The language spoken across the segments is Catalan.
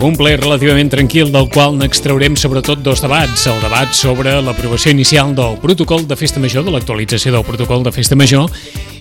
Un ple relativament tranquil del qual n'extraurem sobretot dos debats. El debat sobre l'aprovació inicial del protocol de festa major, de l'actualització del protocol de festa major,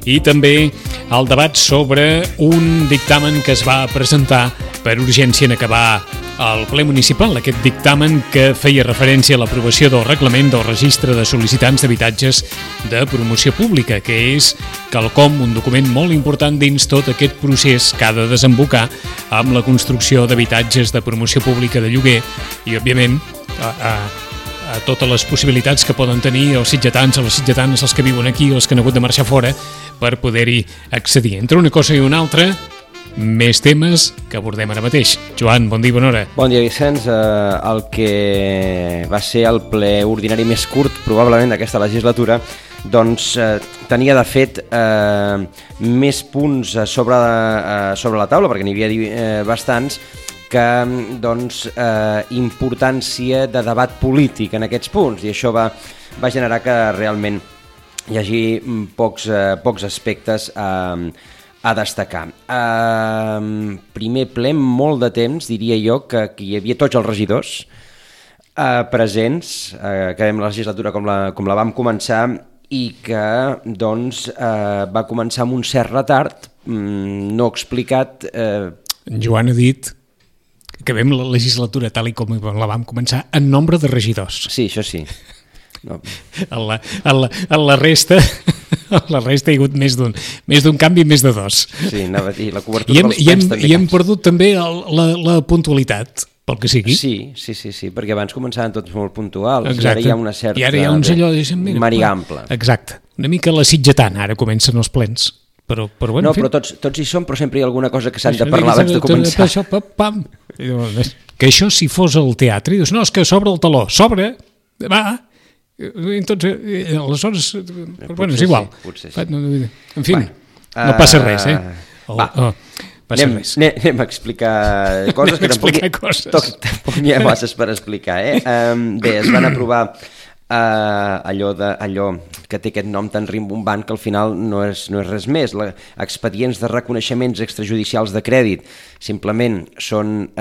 i també el debat sobre un dictamen que es va presentar per urgència en acabar el ple municipal. Aquest dictamen que feia referència a l'aprovació del reglament del registre de sol·licitants d'habitatges de promoció pública, que és quelcom, un document molt important dins tot aquest procés que ha de desembocar amb la construcció d'habitatges de promoció pública de lloguer i, òbviament, a totes les possibilitats que poden tenir els sitgetans o les sitgetanes, els que viuen aquí o els que han hagut de marxar fora, per poder-hi accedir. Entre una cosa i una altra, més temes que abordem ara mateix. Joan, bon dia i bona hora. Bon dia, Vicenç. El que va ser el ple ordinari més curt, probablement, d'aquesta legislatura, doncs tenia, de fet, més punts sobre la taula, perquè n'hi havia bastants, que doncs, importància de debat polític en aquests punts, i això va generar que realment hi hagi pocs aspectes a destacar. Primer ple, molt de temps, diria jo, que hi havia tots els regidors presents, que vam la legislatura com la vam començar, i que doncs, va començar amb un cert retard, no explicat. Joan ha dit que vam la legislatura tal i com la vam començar en nombre de regidors. Sí, això sí. No. A la resta hi ha hagut més d'un canvi, més de dos. Sí, anava a dir, la cobertura dels plens també. I hem perdut també la puntualitat, pel que sigui. Sí, perquè abans començaven tots molt puntuals. Exacte. I ara hi ha una certa... I ara hi ha uns allò, mariample. Exacte. Una mica la sitgetana, ara comencen els plens. Però bueno, no, però tots hi som, però sempre hi ha alguna cosa que s'han de parlar abans de començar. Això, pam. Que això, si fos al teatre, dius, no, és que s'obre el teló. S'obre, va. Entonces, aleshores, bueno, és igual. Potser sí. En fi, no passa res, Anem a explicar coses que tampoc n'hi ha masses per explicar. Bé, es van aprovar allò que té aquest nom tan rimbombant que al final no és res més. Expedients de reconeixements extrajudicials de crèdit simplement són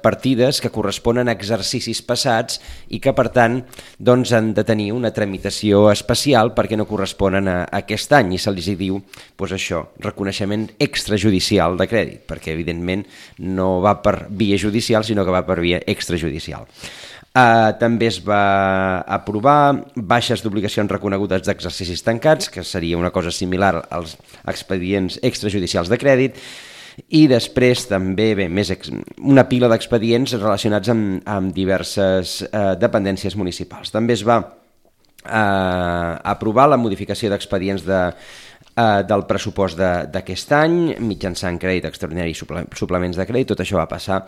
partides que corresponen a exercicis passats i que, per tant, doncs, han de tenir una tramitació especial perquè no corresponen a aquest any, i se li diu doncs això, reconeixement extrajudicial de crèdit, perquè evidentment no va per via judicial sinó que va per via extrajudicial. També es va aprovar baixes d'obligacions reconegudes d'exercicis tancats, que seria una cosa similar als expedients extrajudicials de crèdit, i després també una pila d'expedients relacionats amb diverses dependències municipals. També es va aprovar la modificació d'expedients del pressupost d'aquest any mitjançant crèdit extraordinari i suplements de crèdit. Tot això va passar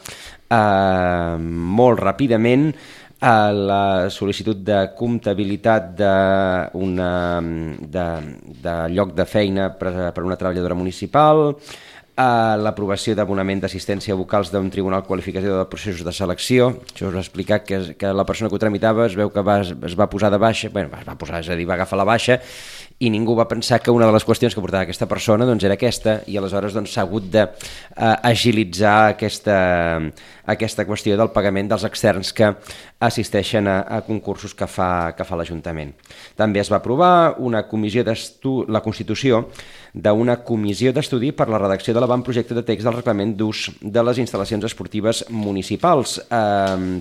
molt ràpidament. La sol·licitud de comptabilitat de lloc de feina per una treballadora municipal, l'aprovació d'abonament d'assistència a vocals d'un tribunal qualificador de processos de selecció. Això us va explicar que la persona que ho tramitava es veu que es va posar de baixa, és a dir, va agafar la baixa, i ningú va pensar que una de les qüestions que portava aquesta persona doncs, era aquesta, i aleshores s'ha hagut d'agilitzar aquesta qüestió del pagament dels externs que assisteixen a concursos que fa l'Ajuntament. També es va aprovar la constitució d'una comissió d'estudi per la redacció de l'avantprojecte de text del reglament d'ús de les instal·lacions esportives municipals.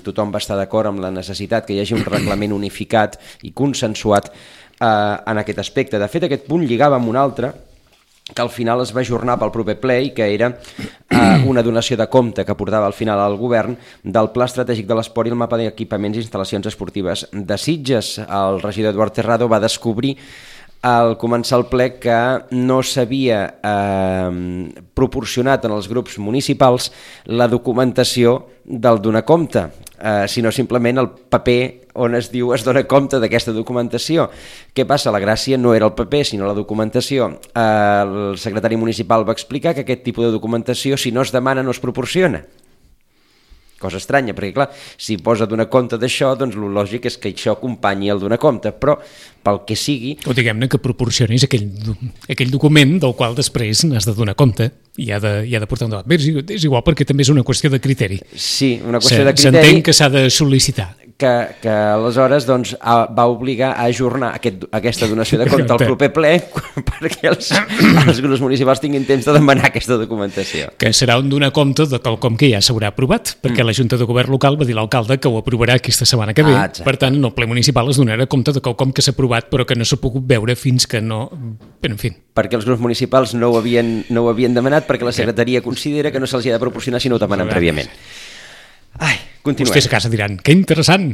Tothom va estar d'acord amb la necessitat que hi hagi un reglament unificat i consensuat en aquest aspecte. De fet, aquest punt lligava amb un altre que al final es va ajornar pel proper ple i que era una donació de compte que portava al final al govern del Pla Estratègic de l'Esport i el mapa d'equipaments i instal·lacions esportives de Sitges. El regidor Eduard Terrado va descobrir al començar el ple que no s'havia proporcionat en els grups municipals la documentació del donar compte. sinó simplement el paper on es diu es dona compte d'aquesta documentació. Què passa? La gràcia no era el paper, sinó la documentació. El secretari municipal va explicar que aquest tipus de documentació, si no es demana, no es proporciona. Cosa estranya, perquè clar, si posa donar compte d'això, doncs el lògic és que això acompanyi el donar compte, però pel que sigui... O diguem-ne que proporcionis aquell document del qual després n'has de donar compte i ha de portar un debat. Bé, és igual perquè també és una qüestió de criteri. Sí, una qüestió de criteri... S'entén que s'ha de sol·licitar. Que aleshores doncs, va obligar a ajornar aquesta donació de compte al proper ple perquè els grups municipals tinguin temps de demanar aquesta documentació. Que serà un donar compte de quelcom que ja s'haurà aprovat, perquè la Junta de Govern local va dir l'alcalde que ho aprovarà aquesta setmana que ve. Per tant, en el ple municipal es donarà compte de quelcom que s'ha aprovat però que no s'ha pogut veure fins que no... Però, en fi. Perquè els grups municipals no ho havien demanat perquè la secretaria considera que no se'ls ha de proporcionar si no ho demanen prèviament. Ai, continuem. Vostès a casa diran, que interessant.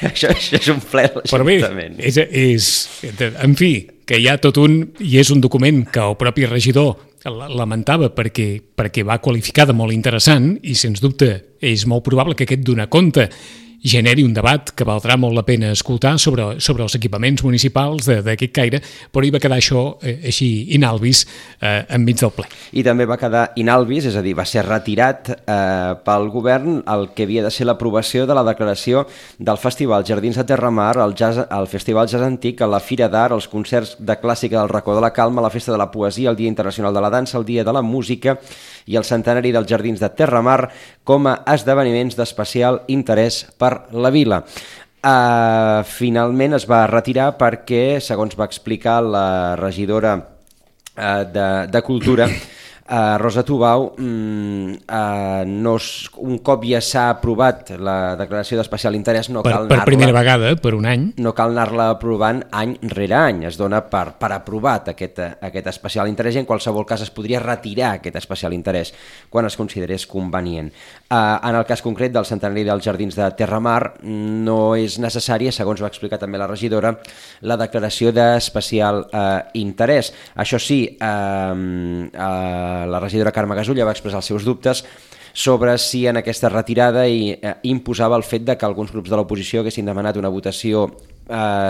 això és un ple a l'Ajuntament. Però bé, en fi, que hi ha tot i és un document que el propi regidor lamentava perquè va qualificar de molt interessant i, sens dubte, és molt probable que aquest donar compte generi un debat que valdrà molt la pena escoltar sobre els equipaments municipals d'aquest caire, però hi va quedar això així inalvis enmig del ple. I també va quedar inalvis, és a dir, va ser retirat pel govern el que havia de ser l'aprovació de la declaració del Festival Jardins de Terramar, el Festival Jazz Antic, la Fira d'Art, els concerts de clàssica del Racó de la Calma, la Festa de la Poesia, el Dia Internacional de la Dansa, el Dia de la Música i el centenari dels Jardins de Terramar com a esdeveniments d'especial interès per la vila. Finalment es va retirar perquè, segons va explicar la regidora de Cultura, Rosa Tubau, un cop ja s'ha aprovat la declaració d'especial interès, no cal anar-la... Per primera vegada, per un any. No cal anar-la aprovant any rere any, es dona per aprovat aquest especial interès i en qualsevol cas es podria retirar aquest especial interès quan es considerés convenient. En el cas concret del centenari dels Jardins de Terramar no és necessària, segons va explicar també la regidora, la declaració d'especial interès. Això sí, la regidora Carme Gasulla va expressar els seus dubtes sobre si en aquesta retirada imposava el fet de que alguns grups de l'oposició haguessin demanat una votació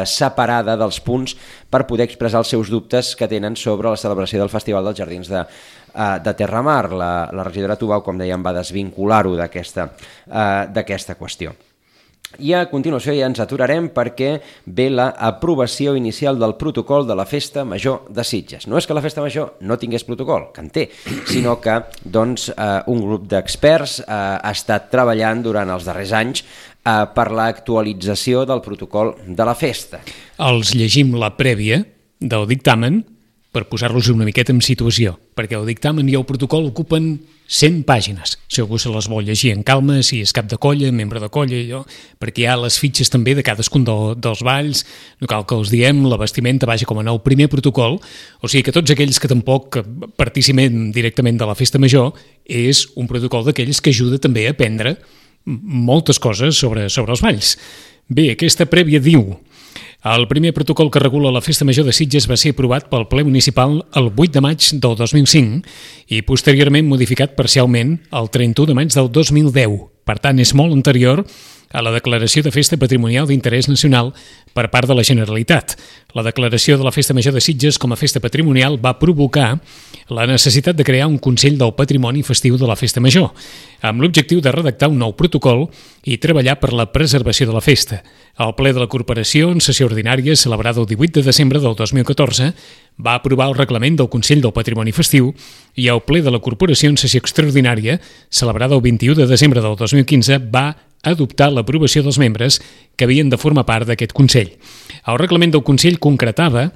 separada dels punts per poder expressar els seus dubtes que tenen sobre la celebració del Festival dels Jardins de Terramar. La regidora Tubau, com dèiem, va desvincular-ho d'aquesta qüestió. I a continuació ja ens aturarem perquè ve l'aprovació inicial del protocol de la Festa Major de Sitges. No és que la Festa Major no tingués protocol, que en té, sinó que un grup d'experts ha estat treballant durant els darrers anys per l'actualització del protocol de la festa. Els llegim la prèvia del dictamen per posar-los una miqueta en situació, perquè el dictamen i el protocol ocupen 100 pàgines. Si algú se les vol llegir en calma, si és cap de colla, membre de colla, perquè hi ha les fitxes també de cadascun dels balls, no cal que els diem, la vestimenta, vaja, com en el primer protocol, o sigui que tots aquells que tampoc participem directament de la festa major, és un protocol d'aquells que ajuda també a aprendre moltes coses sobre els balls. Bé, aquesta prèvia diu: el primer protocol que regula la Festa Major de Sitges va ser aprovat pel ple municipal el 8 de maig del 2005 i posteriorment modificat parcialment el 31 de maig del 2010. Per tant, és molt anterior a la declaració de Festa Patrimonial d'Interès Nacional per part de la Generalitat. La declaració de la Festa Major de Sitges com a festa patrimonial va provocar la necessitat de crear un Consell del Patrimoni Festiu de la Festa Major, amb l'objectiu de redactar un nou protocol i treballar per la preservació de la festa. El ple de la Corporació, en sessió ordinària celebrada el 18 de desembre del 2014, va aprovar el reglament del Consell del Patrimoni Festiu i el ple de la Corporació, en sessió extraordinària celebrada el 21 de desembre del 2015, va adoptar l'aprovació dels membres que havien de formar part d'aquest Consell. El reglament del Consell concretava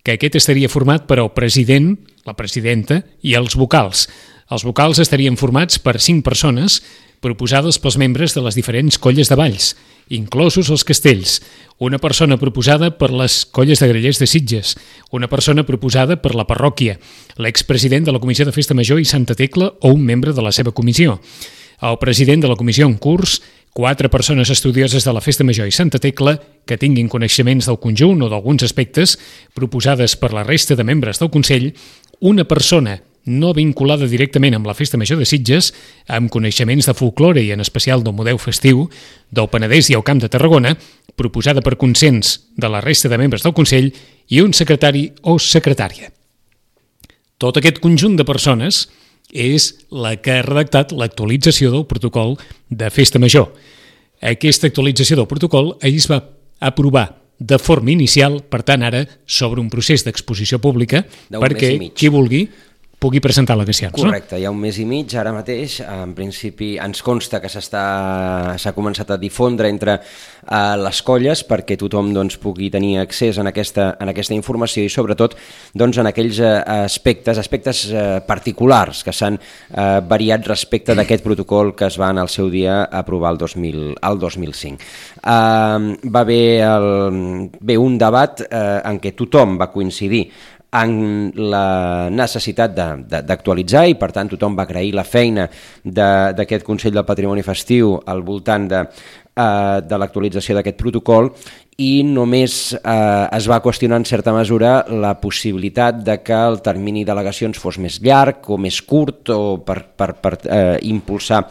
que aquest estaria format per el president, la presidenta i els vocals. Els vocals estarien formats per 5 persones proposades pels membres de les diferents colles de balls, inclosos els castells, una persona proposada per les colles de grallers de Sitges, una persona proposada per la parròquia, l'expresident de la Comissió de Festa Major i Santa Tecla o un membre de la seva comissió, el president de la comissió en curs, 4 persones estudioses de la Festa Major i Santa Tecla que tinguin coneixements del conjunt o d'alguns aspectes proposades per la resta de membres del Consell, una persona no vinculada directament amb la Festa Major de Sitges, amb coneixements de folklore i en especial del model festiu del Penedès i el Camp de Tarragona, proposada per consens de la resta de membres del Consell i un secretari o secretària. Tot aquest conjunt de persones és la que ha redactat l'actualització del protocol de Festa Major. Aquesta actualització del protocol ahir es va aprovar de forma inicial, per tant ara s'obre un procés d'exposició pública perquè qui vulgui pugui presentar al·legacions. Correcte, hi ha un mes i mig ara mateix, en principi ens consta que s'ha començat a difondre entre les colles perquè tothom pugui tenir accés en aquesta informació i sobretot en aquells aspectes particulars que s'han variat respecte d'aquest protocol que es va en el seu dia aprovar el 2005. Va haver un debat en què tothom va coincidir en la necessitat d'actualitzar i per tant tothom va agrair la feina d'aquest Consell del Patrimoni Festiu al voltant de l'actualització d'aquest protocol i només es va qüestionar en certa mesura la possibilitat de que el termini d'al·legacions fos més llarg o més curt o per impulsar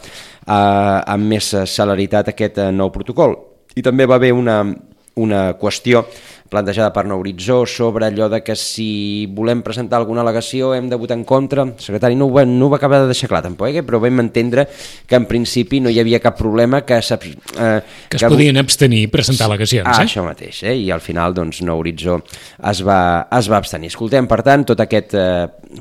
amb més celeritat aquest nou protocol. I també va haver una qüestió plantejada per Nou Horitzó sobre allò de que si volem presentar alguna al·legació hem de votar en contra. El secretari no ho va acabar de deixar clar tampoc, però vam entendre que en principi no hi havia cap problema que es podien abstenir i presentar al·legacions. Això mateix, i al final Nou Horitzó es va abstenir. Escoltem, per tant, tot aquest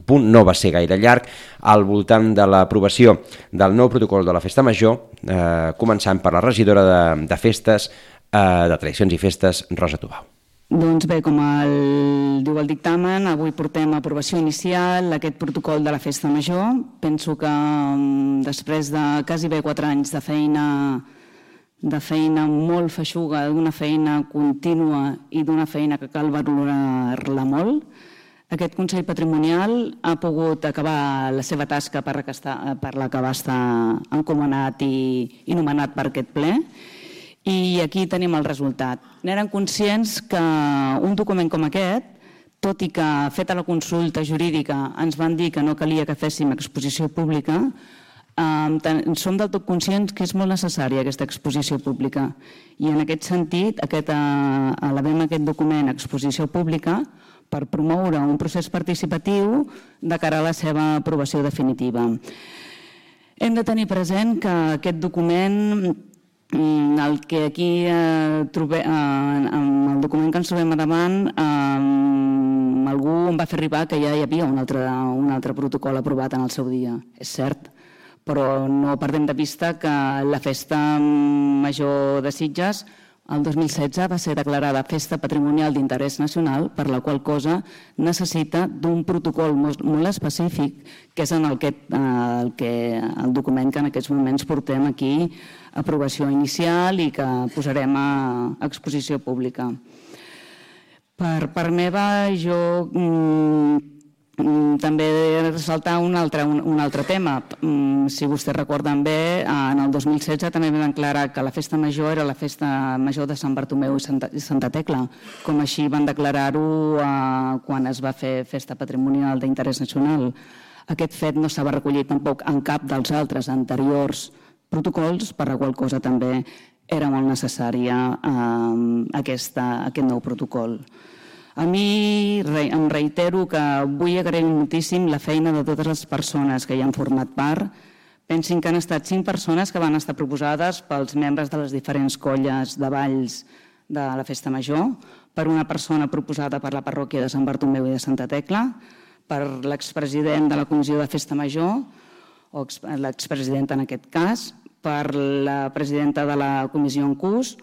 punt no va ser gaire llarg al voltant de l'aprovació del nou protocol de la Festa Major, començant per la regidora de Festes, de Tradicions i Festes, Rosa Tubau. Doncs bé, com diu el dictamen, avui portem a aprovació inicial aquest protocol de la Festa Major. Penso que després de quasi 4 anys de feina molt feixuga, d'una feina contínua i d'una feina que cal valorar-la molt, aquest Consell Patrimonial ha pogut acabar la seva tasca per la que va estar encomanat i nomenat per aquest ple. I aquí tenim el resultat. N'eren conscients que un document com aquest, tot i que feta la consulta jurídica ens van dir que no calia que féssim exposició pública, som del tot conscients que és molt necessària aquesta exposició pública. I en aquest sentit, elevem aquest document a exposició pública per promoure un procés participatiu de cara a la seva aprovació definitiva. Hem de tenir present que aquest document, el que aquí trobem, el document que ens trobem a davant, algú em va fer arribar que ja hi havia un altre protocol aprovat en el seu dia. És cert, però no perdem de vista que la Festa Major de Sitges el 2016 va ser declarada Festa Patrimonial d'Interès Nacional, per la qual cosa necessita d'un protocol molt específic, que és el document que en aquests moments portem aquí a aprovació inicial i que posarem a exposició pública. Per part meva, jo també he de ressaltar un altre tema. Si vostès recorden bé, en el 2016 també vam declarar que la Festa Major era la Festa Major de Sant Bartomeu i Santa Tecla, com així van declarar-ho quan es va fer Festa Patrimonial d'Interès Nacional. Aquest fet no s'ha recollit tampoc en cap dels altres anteriors protocols, per la qual cosa també era molt necessària aquest nou protocol. A mi em reitero que vull agrair moltíssim la feina de totes les persones que hi han format part. Pensin que han estat 5 persones que van estar proposades pels membres de les diferents colles de balls de la Festa Major, per una persona proposada per la parròquia de Sant Bartomeu i de Santa Tecla, per l'expresident de la Comissió de Festa Major, o l'expresidenta en aquest cas, per la presidenta de la Comissió en curs,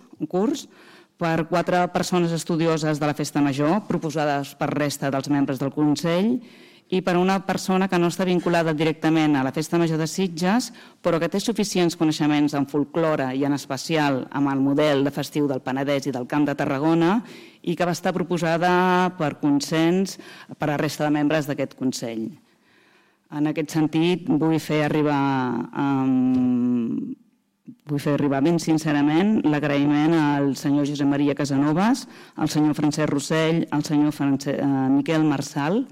per 4 persones estudioses de la Festa Major, proposades per resta dels membres del Consell, i per una persona que no està vinculada directament a la Festa Major de Sitges, però que té suficients coneixements en folklore i en especial amb el model de festiu del Penedès i del Camp de Tarragona, i que va estar proposada per consens per a la resta de membres d'aquest Consell. En aquest sentit, vull fer arribar ben sincerament l'agraïment al senyor Josep Maria Casanovas, al senyor Francesc Rossell, al senyor Miquel Marçal.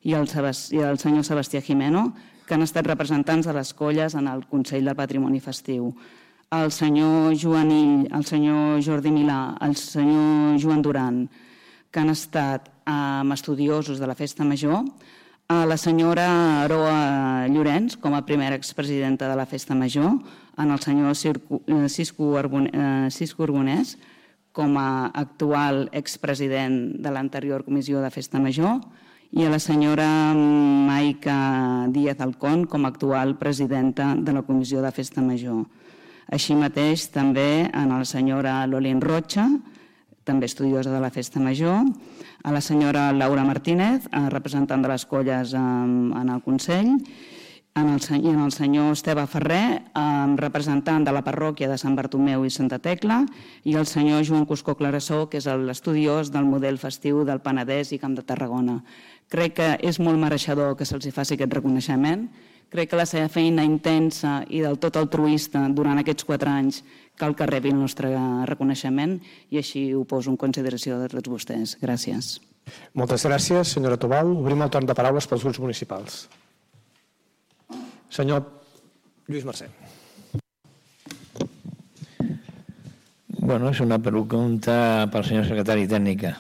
i el senyor Sebastià Jimeno, que han estat representants de les colles en el Consell del Patrimoni Festiu. El senyor Joan Ill, el senyor Jordi Milà, el senyor Joan Duran, que han estat estudiosos de la Festa Major, la senyora Aroa Llorenç, com a primera expresidenta de la Festa Major, en el senyor Cisco Arbonès, com a actual expresident de l'anterior Comissió de Festa Major, i a la senyora Maica Díaz Alcón com a actual presidenta de la Comissió de Festa Major. Així mateix també a la senyora Lolín Rocha, també estudiosa de la Festa Major, a la senyora Laura Martínez, representant de les colles en el Consell, i en el senyor Esteve Ferrer, representant de la parròquia de Sant Bartomeu i Santa Tecla, i el senyor Joan Cuscó Clarassó, que és l'estudiós del model festiu del Penedès i Camp de Tarragona. Crec que és molt mereixedor que se'ls faci aquest reconeixement. Crec que la seva feina intensa i del tot altruista durant aquests 4 anys cal que rebi el nostre reconeixement i així ho poso en consideració de tots vostès. Gràcies. Moltes gràcies, senyora Tobal. Obrim el torn de paraules pels grups municipals. Senyor Lluís Mercè. És una pregunta pel senyor secretari tècnica.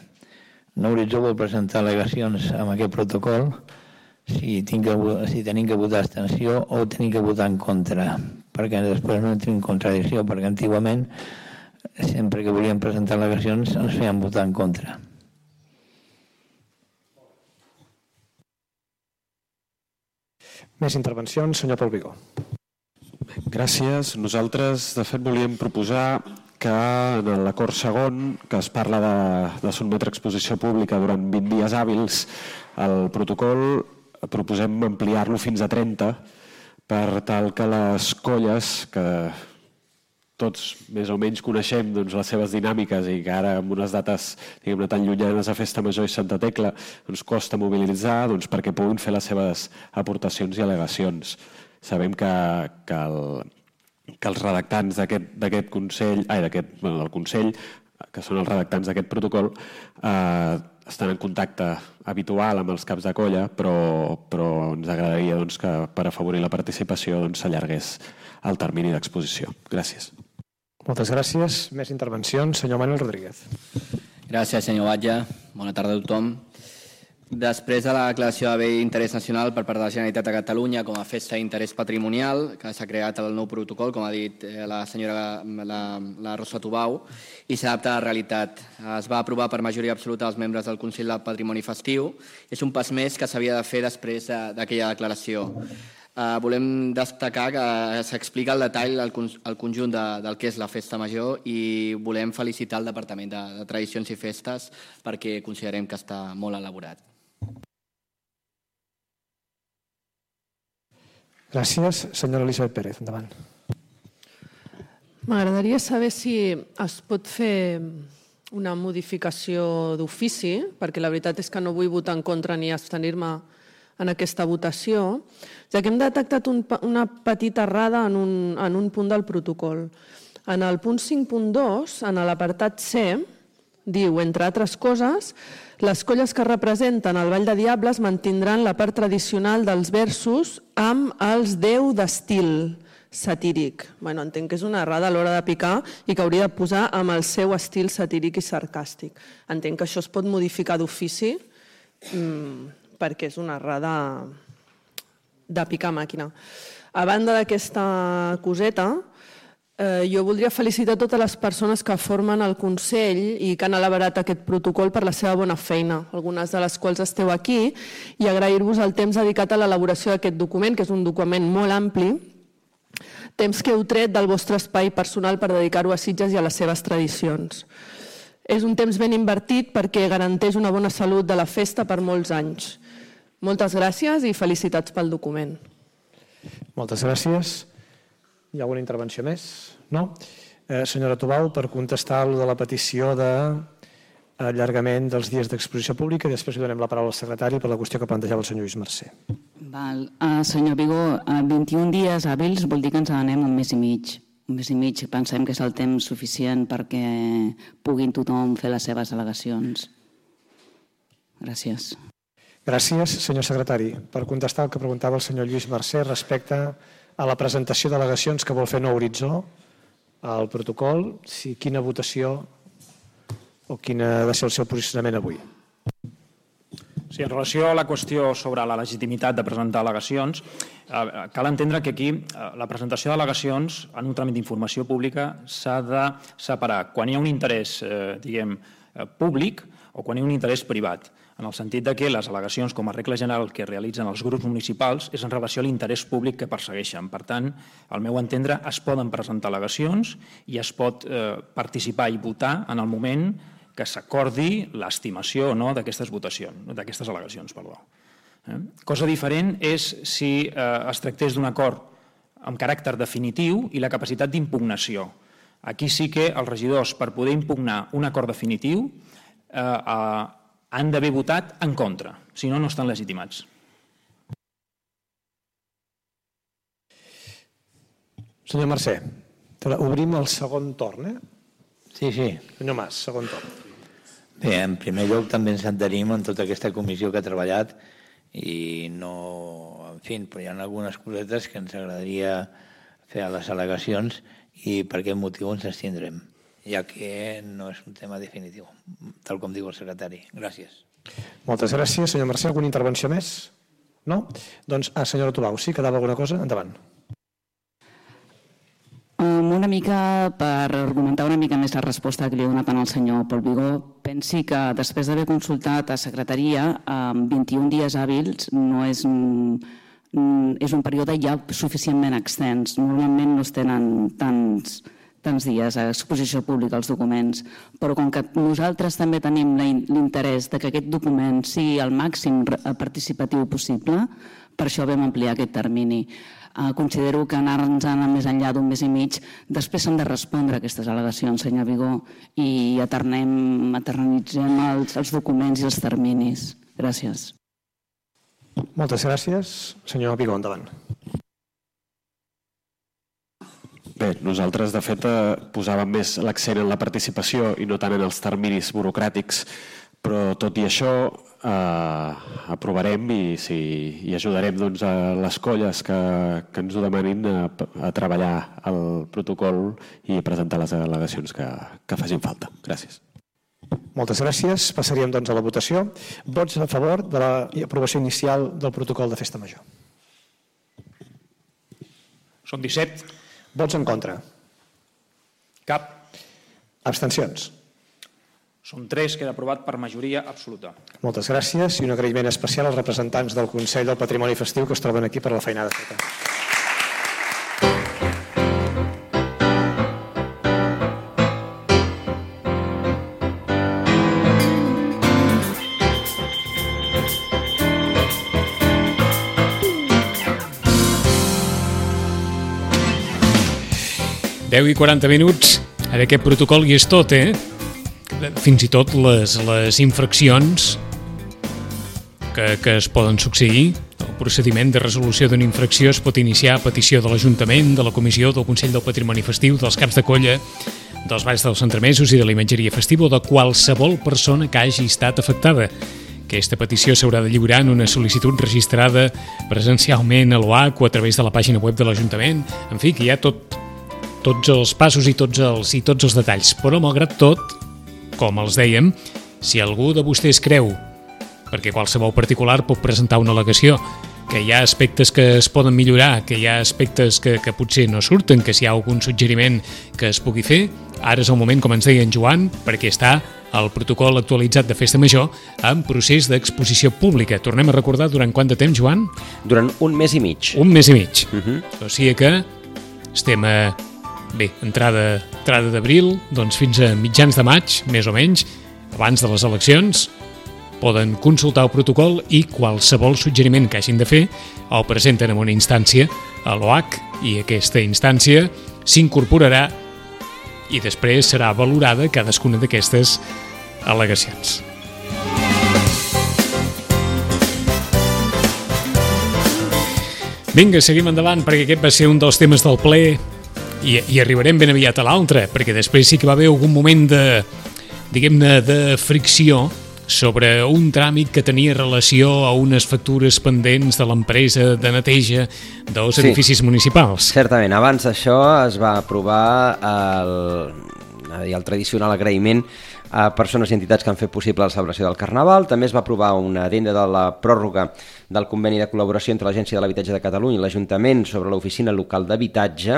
No horitzó vol presentar al·legacions amb aquest protocol si tenim que votar abstenció o tenim que votar en contra, perquè després no entri en contradicció, perquè antigament sempre que volíem presentar al·legacions ens feien votar en contra. Més intervencions, senyor Pol Vigó. Gràcies. Nosaltres, de fet, volíem proposar que en l'acord segon, que es parla de sotmetre a exposició pública durant 20 dies hàbils, el protocol proposem ampliar-lo fins a 30 per tal que les colles, que tots més o menys coneixem les seves dinàmiques i que ara amb unes dates tan llunyanes a Festa Major i Santa Tecla ens costa mobilitzar perquè puguin fer les seves aportacions i al·legacions. Sabem que els redactants d'aquest Consell, del Consell, que són els redactants d'aquest protocol, estan en contacte habitual amb els caps de colla, però ens agradaria que per afavorir la participació s'allargués el termini d'exposició. Gràcies. Moltes gràcies. Més intervencions. Senyor Manuel Rodríguez. Gràcies, senyor Batlle. Bona tarda a tothom. Després de la declaració de bé d'interès nacional per part de la Generalitat de Catalunya com a festa d'interès patrimonial, que s'ha creat el nou protocol, com ha dit la senyora la Rosa Tubau, i s'adapta a la realitat. Es va aprovar per majoria absoluta dels membres del Consell del Patrimoni Festiu. És un pas més que s'havia de fer després d'aquella declaració. Volem destacar que s'explica al detall el conjunt del que és la Festa Major i volem felicitar el Departament de Tradicions i Festes perquè considerem que està molt elaborat. Gràcies. Senyora Elisabet Pérez, endavant. M'agradaria saber si es pot fer una modificació d'ofici, perquè la veritat és que no vull votar en contra ni abstenir-me en aquesta votació, ja que hem detectat una petita errada en un punt del protocol. En el punt 5.2, en l'apartat C, diu, entre altres coses, les colles que representen el Ball de Diables mantindran la part tradicional dels versos amb els 10 d'estil satíric. Entenc que és una errada a l'hora de picar i que hauria de posar amb el seu estil satíric i sarcàstic. Entenc que això es pot modificar d'ofici perquè és una errada de picar màquina. A banda d'aquesta coseta, jo voldria felicitar totes les persones que formen el Consell i que han elaborat aquest protocol per la seva bona feina, algunes de les quals esteu aquí, i agrair-vos el temps dedicat a l'elaboració d'aquest document, que és un document molt ampli, temps que heu tret del vostre espai personal per dedicar-ho a Sitges i a les seves tradicions. És un temps ben invertit perquè garanteix una bona salut de la festa per molts anys. Moltes gràcies i felicitats pel document. Moltes gràcies. Hi ha alguna intervenció més? No? Senyora Tobau, per contestar de la petició d'allargament dels dies d'exposició pública i després li donem la paraula al secretari per la qüestió que plantejava el senyor Lluís Mercè. Senyor Vigó, 21 dies hàbils vol dir que ens n'anem un mes i mig. Un mes i mig pensem que és el temps suficient perquè puguin tothom fer les seves al·legacions. Gràcies. Gràcies, senyor secretari. Per contestar el que preguntava el senyor Lluís Mercè respecte a la presentació d'al·legacions que vol fer Nou Horitzó al protocol, si quina votació o quin ha de ser el seu posicionament avui. Sí, en relació a la qüestió sobre la legitimitat de presentar al·legacions, cal entendre que aquí la presentació d'al·legacions en un tràmit d'informació pública s'ha de separar quan hi ha un interès, públic o quan hi ha un interès privat, en el sentit que les al·legacions com a regla general que realitzen els grups municipals és en relació a l'interès públic que persegueixen. Per tant, al meu entendre, es poden presentar al·legacions i es pot participar i votar en el moment que s'acordi l'estimació o no d'aquestes al·legacions. Cosa diferent és si es tractés d'un acord amb caràcter definitiu i la capacitat d'impugnació. Aquí sí que els regidors, per poder impugnar un acord definitiu, han d'haver votat en contra, si no, no estan legitimats. Senyor Mercè, obrim el segon torn, Sí. Senyor Mas, segon torn. Bé, en primer lloc també ens adherim en tota aquesta comissió que ha treballat i no... En fi, però hi ha algunes cosetes que ens agradaria fer a les al·legacions i per aquest motiu ens abstindrem, ja que no és un tema definitiu, tal com diu el secretari. Gràcies. Moltes gràcies. Senyor Mercè, alguna intervenció més? No? Doncs, senyora Tubau, sí, quedava alguna cosa? Endavant. Una mica per argumentar una mica més la resposta que li he donat al senyor Pol Vigó, pensi que després d'haver consultat a secretaria, 21 dies hàbils no és un període ja suficientment extens. Normalment no es tenen tants dies a exposició pública als documents, però com que nosaltres també tenim l'interès que aquest document sigui el màxim participatiu possible, per això vam ampliar aquest termini. Considero que anar-nos més enllà d'un mes i mig, després s'han de respondre aquestes al·legacions, senyor Vigó, i eternitzem els documents i els terminis. Gràcies. Moltes gràcies. Senyor Vigó, endavant. Bé, nosaltres de fet posàvem més l'accent en la participació i no tant en els terminis burocràtics, però tot i això aprovarem i ajudarem a les colles que ens ho demanin a treballar el protocol i presentar les al·legacions que facin falta. Gràcies. Moltes gràcies. Passaríem doncs a la votació. Vots a favor de l'aprovació inicial del protocol de Festa Major? Són 17. Vots en contra? Cap. Abstencions? Són 3, queda aprovat per majoria absoluta. Moltes gràcies i un agraïment especial als representants del Consell del Patrimoni Festiu que es troben aquí per la feinada feta. Deu i 40 minuts. Ara aquest protocol hi és tot, fins i tot les infraccions que es poden succeir. El procediment de resolució d'una infracció es pot iniciar a petició de l'Ajuntament, de la Comissió, del Consell del Patrimoni Festiu, dels caps de colla, dels balls dels entremesos i de la imatgeria festiva o de qualsevol persona que hagi estat afectada. Aquesta petició s'haurà de lliurar en una sol·licitud registrada presencialment a l'OAC o a través de la pàgina web de l'Ajuntament. En fi, que hi ha tots els passos i tots els detalls. Però, malgrat tot, com els dèiem, si algú de vostès creu, perquè qualsevol particular pot presentar una al·legació, que hi ha aspectes que es poden millorar, que hi ha aspectes que potser no surten, que si hi ha algun suggeriment que es pugui fer, ara és el moment, com ens deia en Joan, perquè està el protocol actualitzat de Festa Major en procés d'exposició pública. Tornem a recordar durant quant de temps, Joan? Durant un mes i mig. Un mes i mig. O sigui que estem a... Bé, entrada d'abril, doncs fins a mitjans de maig, més o menys, abans de les eleccions, poden consultar el protocol i qualsevol suggeriment que hagin de fer el presenten en una instància a l'OAC i aquesta instància s'incorporarà i després serà valorada cadascuna d'aquestes al·legacions. Vinga, seguim endavant perquè aquest va ser un dels temes del ple i arribarem ben aviat a l'altre, perquè després sí que va haver algun moment de fricció sobre un tràmit que tenia relació a unes factures pendents de l'empresa de neteja dels edificis municipals. Certament, abans d'això es va aprovar el tradicional agraïment a persones i entitats que han fet possible la celebració del Carnaval. També es va aprovar una addenda de la pròrroga del conveni de col·laboració entre l'Agència de l'Habitatge de Catalunya i l'Ajuntament sobre l'Oficina Local d'Habitatge.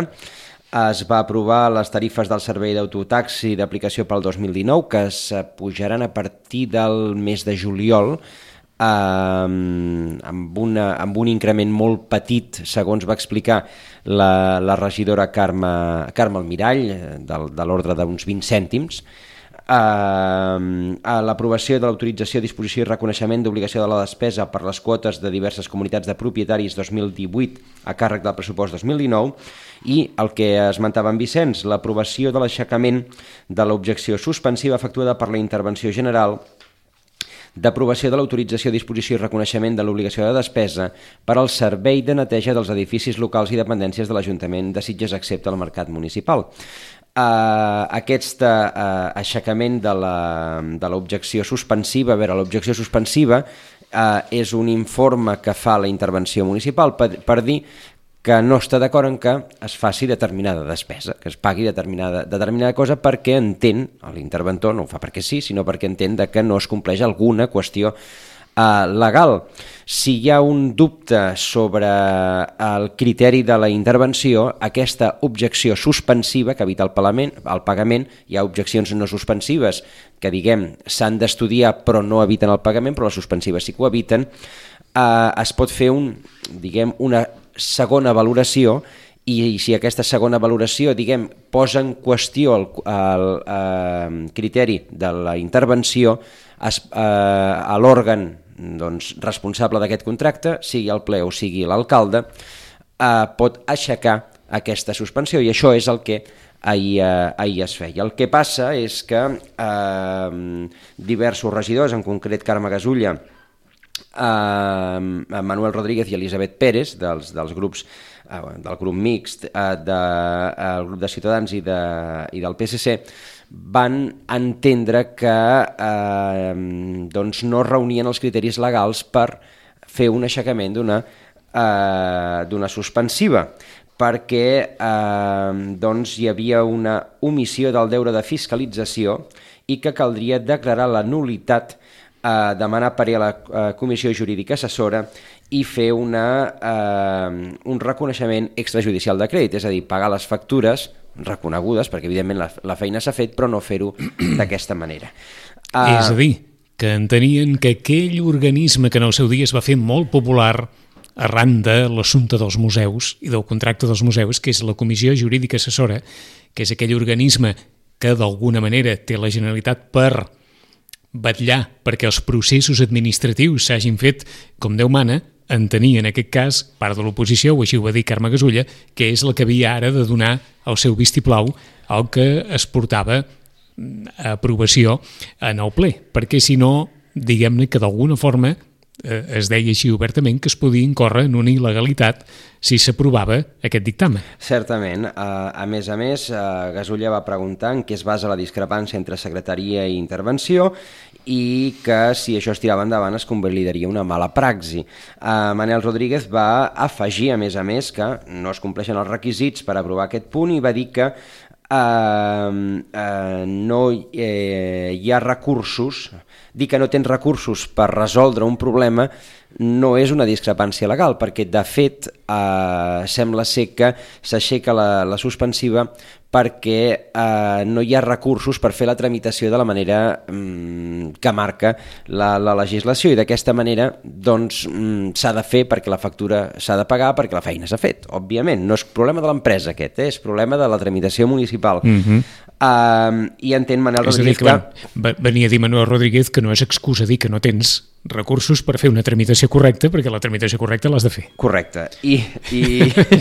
Es va aprovar les tarifes del servei d'autotaxi d'aplicació pel 2019, que es pujaran a partir del mes de juliol, amb un increment molt petit, segons va explicar la regidora Carme Almirall, de l'ordre d'uns 20 cèntims. A l'aprovació de l'autorització, disposició i reconeixement d'obligació de la despesa per les quotes de diverses comunitats de propietaris 2018 a càrrec del pressupost 2019 i el que esmentava en Vicenç, l'aprovació de l'aixecament de l'objecció suspensiva efectuada per la intervenció general d'aprovació de l'autorització, disposició i reconeixement de l'obligació de despesa per al servei de neteja dels edificis locals i dependències de l'Ajuntament de Sitges excepte el mercat municipal. Aquest aixecament de l'objecció suspensiva, l'objecció suspensiva és un informe que fa la intervenció municipal per dir que no està d'acord en que es faci determinada despesa, que es pagui determinada cosa perquè entén, l'interventor no ho fa perquè sí, sinó perquè entén que no es compleix alguna qüestió legal. Si hi ha un dubte sobre el criteri de la intervenció, aquesta objecció suspensiva que evita el pagament, hi ha objeccions no suspensives que, diguem, s'han d'estudiar però no eviten el pagament, però les suspensives sí que ho eviten, es pot fer una segona valoració i si aquesta segona valoració, diguem, posa en qüestió el criteri de la intervenció, a l'òrgan responsable d'aquest contracte, sigui el ple o sigui l'alcalde, pot aixecar aquesta suspensió i això és el que ahir es feia. El que passa és que diversos regidors, en concret Carme Gasulla, Manuel Rodríguez i Elisabet Pérez, dels grups del grup mixt, del grup de Ciutadans i del PSC, van entendre que no reunien els criteris legals per fer un aixecament d'una suspensiva, perquè hi havia una omissió del deure de fiscalització i que caldria declarar la nul·litat, demanar parer a la Comissió Jurídica Assessora i fer un reconeixement extrajudicial de crèdit, és a dir, pagar les factures reconegudes, perquè evidentment la feina s'ha fet, però no fer-ho d'aquesta manera. És a dir, que entenien que aquell organisme que en el seu dia es va fer molt popular arran de l'assumpte dels museus i del contracte dels museus, que és la Comissió Jurídica Assessora, que és aquell organisme que d'alguna manera té la Generalitat per vetllar perquè els processos administratius s'hagin fet com Déu mana, entenia en aquest cas, part de l'oposició, o així ho va dir Carme Gasulla, que és la que havia ara de donar el seu vistiplau al que es portava a aprovació en el ple, perquè si no, diguem-ne que d'alguna forma es deia així obertament que es podia incórrer en una il·legalitat si s'aprovava aquest dictamen. Certament. A més, Gasulla va preguntar en què es basa la discrepància entre secretaria i intervenció i que si això es tirava endavant es convalidaria una mala praxi. Manuel Rodríguez va afegir, a més, que no es compleixen els requisits per aprovar aquest punt i va dir que no hi ha recursos, dir que no tens recursos per resoldre un problema no és una discrepància legal, perquè de fet sembla ser que s'aixeca la suspensiva perquè no hi ha recursos per fer la tramitació de la manera que marca la legislació i d'aquesta manera s'ha de fer perquè la factura s'ha de pagar perquè la feina s'ha fet, òbviament. No és problema de l'empresa aquest, és problema de la tramitació municipal. I entén Manuel Rodríguez que... Venia a dir Manuel Rodríguez que no és excusa dir que no tens recursos per fer una tramitació correcta, perquè la tramitació correcta l'has de fer. Correcte.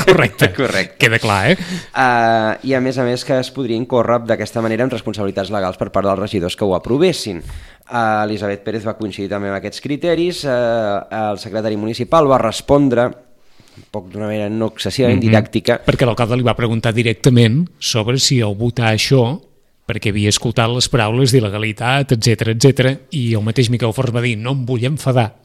Correcte. Queda clar, I a més que es podria incórrer d'aquesta manera en responsabilitats legals per part dels regidors que ho aprovessin. Elisabet Pérez va coincidir també amb aquests criteris, el secretari municipal va respondre d'una manera no excessivament didàctica. Perquè l'alcalde li va preguntar directament sobre si al votar això perquè havia escoltat les paraules d'il·legalitat, etc, i el mateix Miquel Forns va dir no em vull enfadar,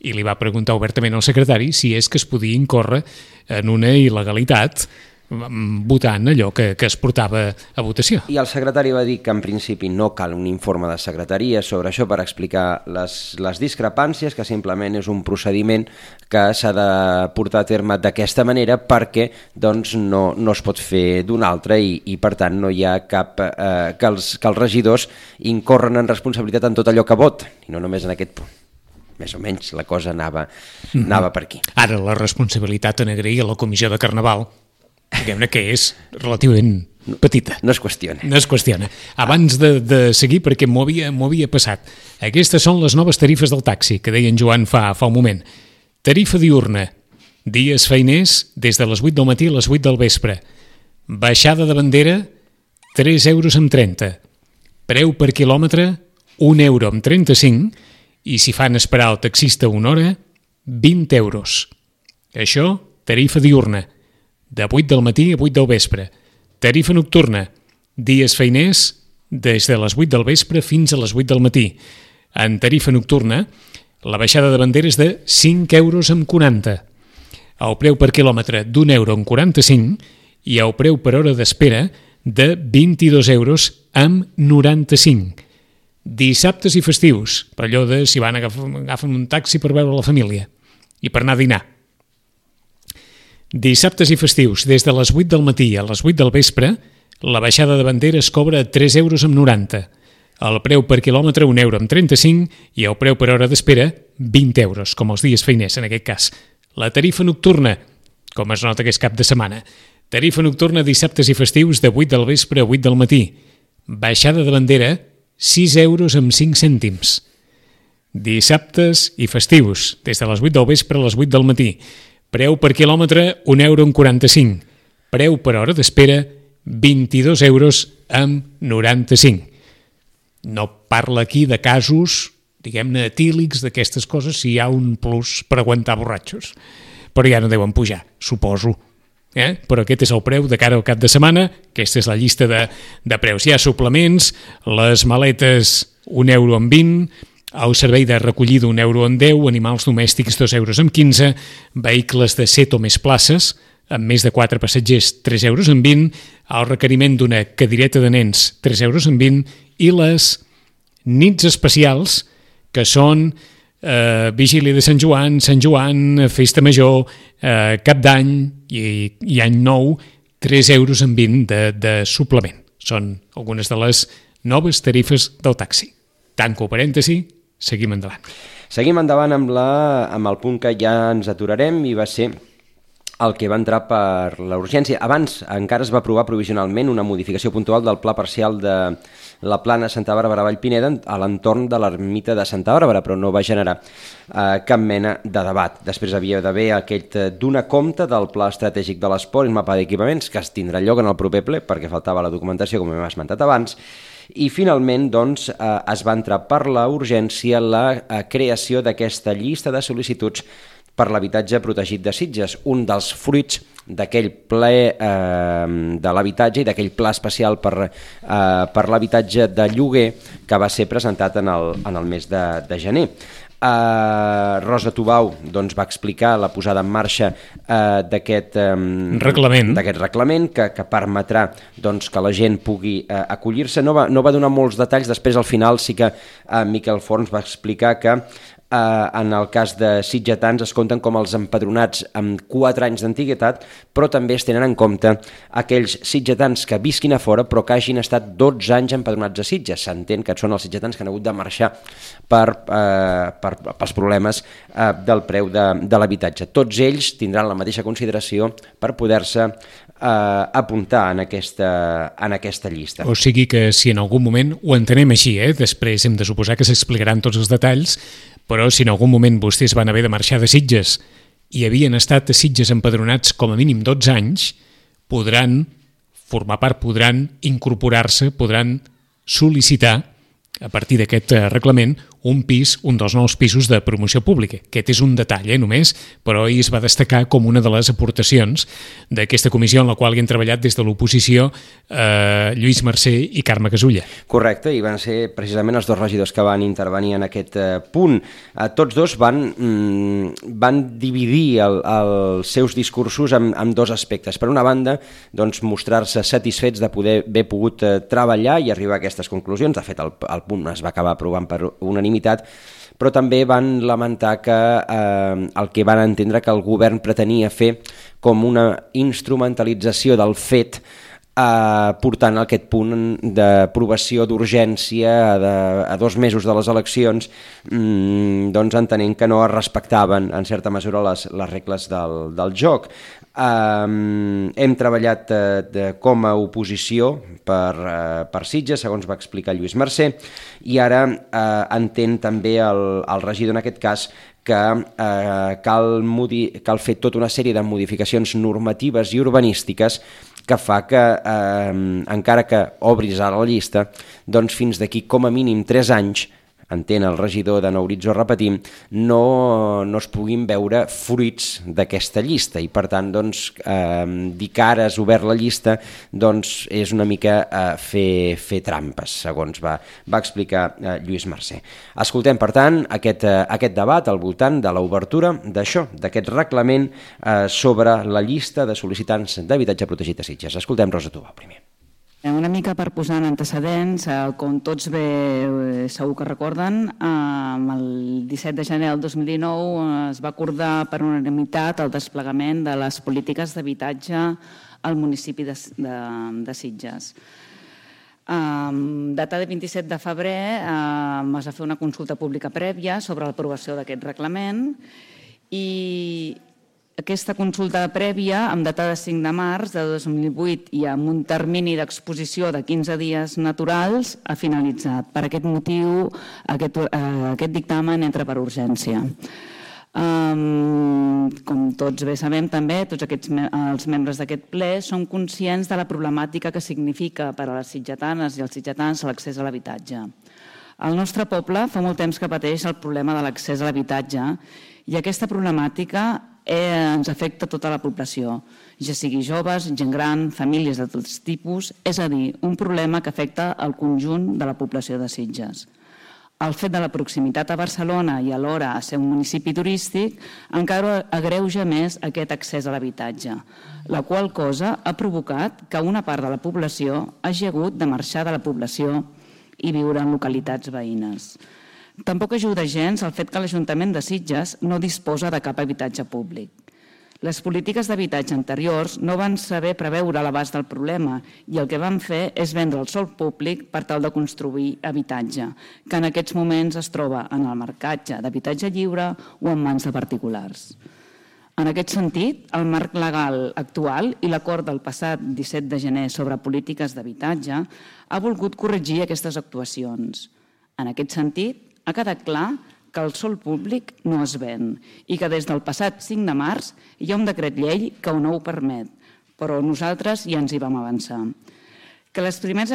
i li va preguntar obertament al secretari si és que es podia incórrer en una il·legalitat votant allò que es portava a votació. I el secretari va dir que en principi no cal un informe de secretaria sobre això per explicar les discrepàncies, que simplement és un procediment que s'ha de portar a terme d'aquesta manera perquè doncs, no es pot fer d'una altra i per tant no hi ha cap que els regidors incorren en responsabilitat en tot allò que voten, i no només en aquest punt. Més o menys la cosa anava per aquí. Ara la responsabilitat en agrair a la comissió de Carnaval, diguem-ne que és relativament petita. No es qüestiona. No es qüestiona. Abans de seguir, perquè m'ho havia passat, aquestes són les noves tarifes del taxi, que deia en Joan fa un moment. Tarifa diurna, dies feiners des de les 8 del matí a les 8 del vespre. Baixada de bandera, 3,30 €. Preu per quilòmetre, 1,35 €, i si fan esperar el taxista una hora, 20 €. Això, tarifa diurna, de 8 del matí a 8 del vespre. Tarifa nocturna, dies feiners des de les 8 del vespre fins a les 8 del matí. En tarifa nocturna, la baixada de bandera és de 5,40 €. El preu per quilòmetre d'1,45 € i el preu per hora d'espera de 22,95 €. Dissabtes i festius, per allò de si van agafen un taxi per veure la família i per anar a dinar. Dissabtes i festius, des de les 8 del matí a les 8 del vespre, la baixada de bandera es cobra a 3,90 €. El preu per quilòmetre 1,35 € i el preu per hora d'espera 20 €, com els dies feiners en aquest cas. La tarifa nocturna, com es nota que és cap de setmana, tarifa nocturna dissabtes i festius de 8 del vespre a 8 del matí. Baixada de bandera 6,05 €. Dissabtes i festius, des de les 8 del vespre a les 8 del matí. Preu per quilòmetre 1,45 €. Preu per hora d'espera 22,95 €. No parla aquí de casos, diguem-ne, etílics d'aquestes coses, si hi ha un plus per aguantar borratxos. Però ja no deuen pujar, suposo. Però aquest és el preu de cara al cap de setmana. Aquesta és la llista de preus. Hi ha suplements, les maletes 1,20 €, el servei de recollida 1,10 €, animals domèstics 2,15 €, vehicles de 7 o més places, amb més de 4 passatgers 3,20 €, el requeriment d'una cadireta de nens 3,20 € i les nits especials, que són Vigília de Sant Joan, Festa Major, Cap d'Any i Any Nou, 3,20 € de suplement. Són algunes de les noves tarifes del taxi. Tanco parèntesi, seguim endavant. Seguim endavant amb el punt que ja ens aturarem i va ser el que va entrar per la urgència. Abans encara es va aprovar provisionalment una modificació puntual del pla parcial de la plana Santa Bàrbara Vallpineda a l'entorn de l'ermita de Santa Bàrbara, però no va generar cap mena de debat. Després havia d'haver aquest donar compte del pla estratègic de l'esport i el mapa d'equipaments, que es tindrà lloc en el proper ple perquè faltava la documentació, com hem esmentat abans, i finalment doncs, es va entrar per la urgència la creació d'aquesta llista de sol·licituds per l'habitatge protegit de Sitges, un dels fruits d'aquell ple de l'habitatge i d'aquell pla especial per l'habitatge de lloguer que va ser presentat en el mes de gener. Rosa Tubau doncs, va explicar la posada en marxa d'aquest reglament que permetrà doncs, que la gent pugui acollir-se. No va donar molts detalls, després al final sí que Miquel Forns va explicar que en el cas de sitgetans es compten com els empadronats amb 4 anys d'antiguitat, però també es tenen en compte aquells sitgetans que visquin a fora però que hagin estat 12 anys empadronats a Sitges. S'entén que són els sitgetans que han hagut de marxar pels problemes del preu de l'habitatge. Tots ells tindran la mateixa consideració per poder-se apuntar en aquesta llista. O sigui que si en algun moment, ho entenem així, després hem de suposar que s'explicaran tots els detalls, però si en algun moment vostès van haver de marxar de Sitges i havien estat a Sitges empadronats com a mínim 12 anys, podran formar part, podran incorporar-se, podran sol·licitar, a partir d'aquest reglament, un dels nous pisos de promoció pública. Aquest és un detall, només, però ahir es va destacar com una de les aportacions d'aquesta comissió en la qual hi han treballat des de l'oposició Lluís Mercè i Carme Casulla. Correcte, i van ser precisament els dos regidors que van intervenir en aquest punt. Tots dos van dividir els seus discursos en dos aspectes. Per una banda, doncs, mostrar-se satisfets de poder haver pogut treballar i arribar a aquestes conclusions. De fet, el punt es va acabar aprovant per unanimitat, però també van lamentar que el que van entendre que el govern pretenia fer com una instrumentalització del fet, portant aquest punt d'aprovació d'urgència a 2 mesos de les eleccions, doncs entenent que no es respectaven en certa mesura les regles del joc. Hem treballat com a oposició per Sitges, segons va explicar Lluís Mercè, i ara entén també el regidor en aquest cas que cal fer tota una sèrie de modificacions normatives i urbanístiques que fa que, encara que obris ara la llista, doncs fins d'aquí com a mínim 3 anys, entén el regidor de Nou Horitzó, repetim, no es puguin veure fruits d'aquesta llista, i per tant, doncs, dir que ara has obert la llista, doncs és una mica fer trampes, segons va explicar Lluís Mercè. Escoltem, per tant, aquest debat al voltant de l'obertura d'aquest reglament sobre la llista de sol·licitants d'habitatge protegit a Sitges. Escoltem Rosa Tubau primer. Una mica per posar en antecedents, com tots bé segur que recorden, el 17 de gener del 2019 es va acordar per unanimitat el desplegament de les polítiques d'habitatge al municipi de Sitges. Data de 27 de febrer es va fer una consulta pública prèvia sobre l'aprovació d'aquest reglament i aquesta consulta prèvia, amb data de 5 de març de 2008 i amb un termini d'exposició de 15 dies naturals, ha finalitzat. Per aquest motiu, aquest dictamen entra per urgència. Com tots bé sabem també, tots els membres d'aquest ple són conscients de la problemàtica que significa per a les sitgetanes i els sitgetans l'accés a l'habitatge. El nostre poble fa molt temps que pateix el problema de l'accés a l'habitatge i aquesta problemàtica ens afecta tota la població, ja sigui joves, gent gran, famílies de tots tipus, és a dir, un problema que afecta el conjunt de la població de Sitges. El fet de la proximitat a Barcelona i alhora a ser un municipi turístic encara agreuja més aquest accés a l'habitatge, la qual cosa ha provocat que una part de la població hagi hagut de marxar de la població i viure en localitats veïnes. Tampoc ajuda gens el fet que l'Ajuntament de Sitges no disposa de cap habitatge públic. Les polítiques d'habitatge anteriors no van saber preveure l'abast del problema i el que van fer és vendre el sòl públic per tal de construir habitatge, que en aquests moments es troba en el marcatge d'habitatge lliure o en mans de particulars. En aquest sentit, el marc legal actual i l'acord del passat 17 de gener sobre polítiques d'habitatge ha volgut corregir aquestes actuacions. En aquest sentit, ha quedat clar que el sòl públic no es ven i que des del passat 5 de març hi ha un decret llei que no ho permet, però nosaltres ja ens hi vam avançar. Que les primeres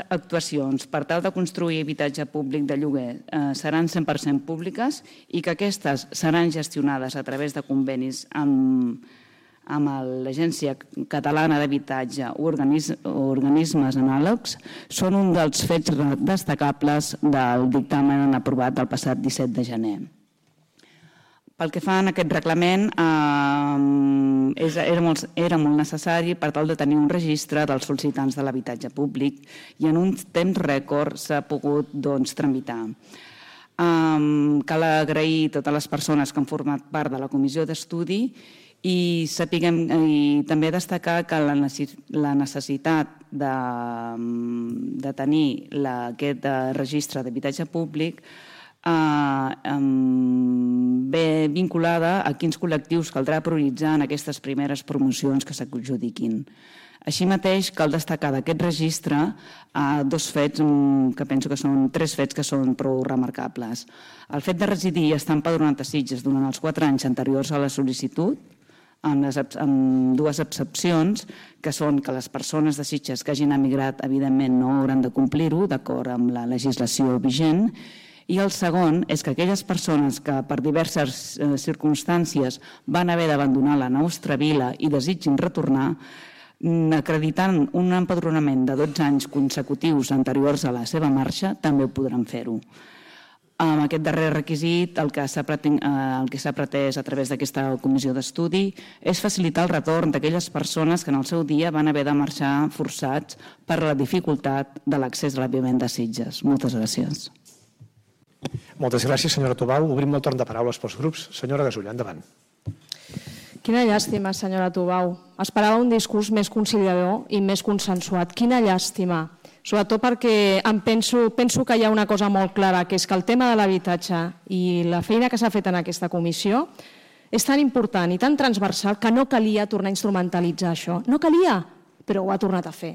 actuacions per tal de construir habitatge públic de lloguer seran 100% públiques i que aquestes seran gestionades a través de convenis amb l'Agència Catalana d'Habitatge o organismes anàlegs són un dels fets destacables del dictamen aprovat el passat 17 de gener. Pel que fa a aquest reglament, era molt necessari per tal de tenir un registre dels sol·licitants de l'habitatge públic i en un temps rècord s'ha pogut tramitar. Cal agrair a totes les persones que han format part de la comissió d'estudi i també destacar que la necessitat de tenir aquest registre d'habitatge públic ve vinculada a quins col·lectius caldrà prioritzar en aquestes primeres promocions que s'adjudiquin. Així mateix, cal destacar d'aquest registre 2 fets, que penso que són 3 fets que són prou remarcables. El fet de residir i estar empadronat a Sitges durant els 4 anys anteriors a la sol·licitud, amb 2 excepcions, que són que les persones de Sitges que hagin emigrat, evidentment, no hauran de complir-ho, d'acord amb la legislació vigent, I el segon és que aquelles persones que per diverses circumstàncies van haver d'abandonar la nostra vila i desitgin retornar, acreditant un empadronament de 12 anys consecutius anteriors a la seva marxa, també ho podran fer-ho. Amb aquest darrer requisit, el que s'ha pretès a través d'aquesta comissió d'estudi és facilitar el retorn d'aquelles persones que en el seu dia van haver de marxar forçats per la dificultat de l'accés a l'avivament de Sitges. Moltes gràcies. Moltes gràcies, senyora Tubau. Obrim el torn de paraules pels grups. Senyora Gasulla, endavant. Quina llàstima, senyora Tubau. Esperava un discurs més conciliador i més consensuat. Quina llàstima. Sobretot perquè penso que hi ha una cosa molt clara, que és que el tema de l'habitatge i la feina que s'ha fet en aquesta comissió és tan important i tan transversal que no calia tornar a instrumentalitzar això. No calia, però ho ha tornat a fer.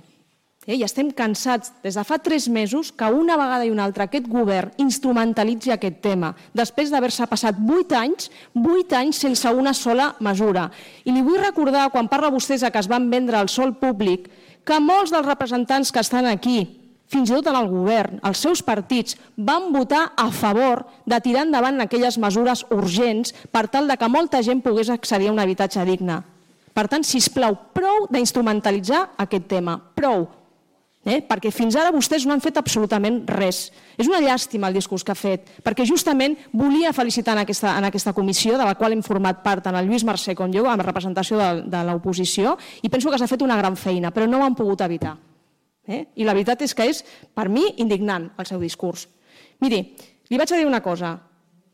I estem cansats des de fa 3 mesos que una vegada i una altra aquest govern instrumentalitzi aquest tema després d'haver-se passat 8 anys sense una sola mesura. I li vull recordar, quan parla vostès que es van vendre el sòl públic, que molts dels representants que estan aquí, fins i tot en el govern, els seus partits, van votar a favor de tirar endavant aquelles mesures urgents per tal que molta gent pogués accedir a un habitatge digne. Per tant, sisplau, prou d'instrumentalitzar aquest tema, prou. Perquè fins ara vostès no han fet absolutament res. És una llàstima el discurs que ha fet, perquè justament volia felicitar en aquesta comissió, de la qual hem format part tant el Lluís Mercè com jo, amb representació de l'oposició, i penso que s'ha fet una gran feina, però no ho han pogut evitar. I la veritat és que és, per mi, indignant el seu discurs. Miri, li vaig a dir una cosa.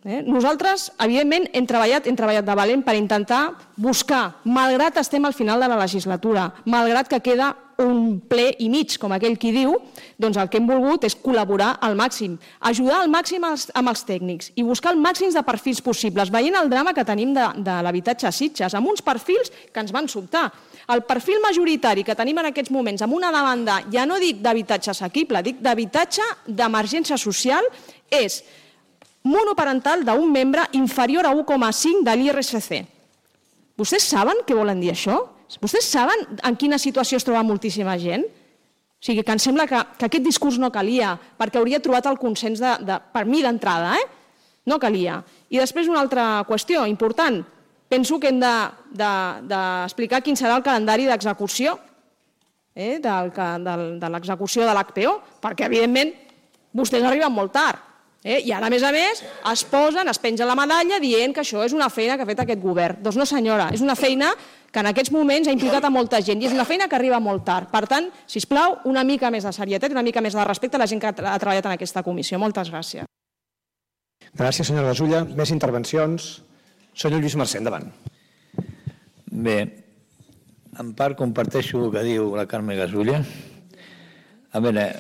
Nosaltres, evidentment, hem treballat de valent per intentar buscar, malgrat estem al final de la legislatura, malgrat que queda un ple i mig, com aquell qui diu, doncs el que hem volgut és col·laborar al màxim, ajudar al màxim amb els tècnics i buscar el màxim de perfils possibles, veient el drama que tenim de l'habitatge a Sitges, amb uns perfils que ens van sobtar. El perfil majoritari que tenim en aquests moments, amb una demanda, ja no dic d'habitatge assequible, dic d'habitatge d'emergència social, és monoparental d'un membre inferior a 1,5 de l'IRSC. Vostès saben què volen dir això? Vostès saben en quina situació es troba moltíssima gent? O sigui, que em sembla que aquest discurs no calia, perquè hauria trobat el consens, per mi d'entrada, no calia. I després una altra qüestió important. Penso que hem d'explicar quin serà el calendari d'execució de l'execució de l'HPO, perquè, evidentment, vostès arriben molt tard. I ara, a més, es pengen la medalla dient que això és una feina que ha fet aquest govern. Doncs no, senyora, és una feina que en aquests moments ha implicat a molta gent i és una feina que arriba molt tard. Per tant, sisplau, una mica més de serietat i una mica més de respecte a la gent que ha treballat en aquesta comissió. Moltes gràcies. Gràcies, senyora Gasulla. Més intervencions. Senyor Lluís Mercè, endavant. Bé, en part comparteixo el que diu la Carme Gasulla. A veure,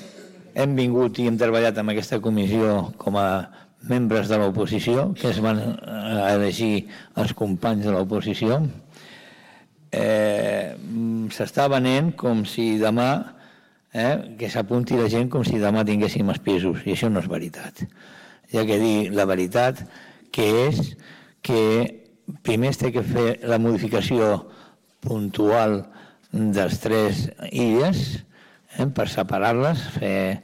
hem vingut i hem treballat en aquesta comissió com a membres de l'oposició, que es van elegir els companys de l'oposició. S'està venent com si demà, que s'apunti la gent com si demà tinguéssim els pisos, i això no és veritat. Hi ha que dir la veritat, que és que primer es té que fer la modificació puntual dels 3 illes, per separar-les, fer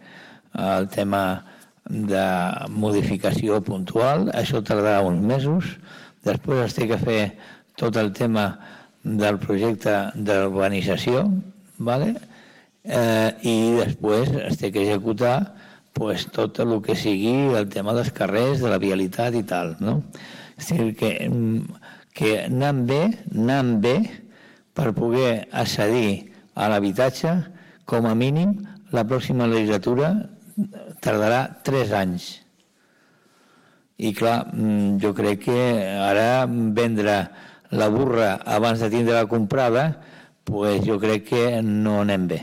el tema de modificació puntual, això tardarà uns mesos, després es té que fer tot el tema del projecte d'urbanització, i després es té que executar tot el que sigui el tema dels carrers, de la vialitat i tal. És a dir, que anant bé per poder accedir a l'habitatge, com a mínim, la pròxima legislatura tardarà 3 anys. I clar, jo crec que ara vendre la burra abans de tindre-la comprada, jo crec que no anem bé.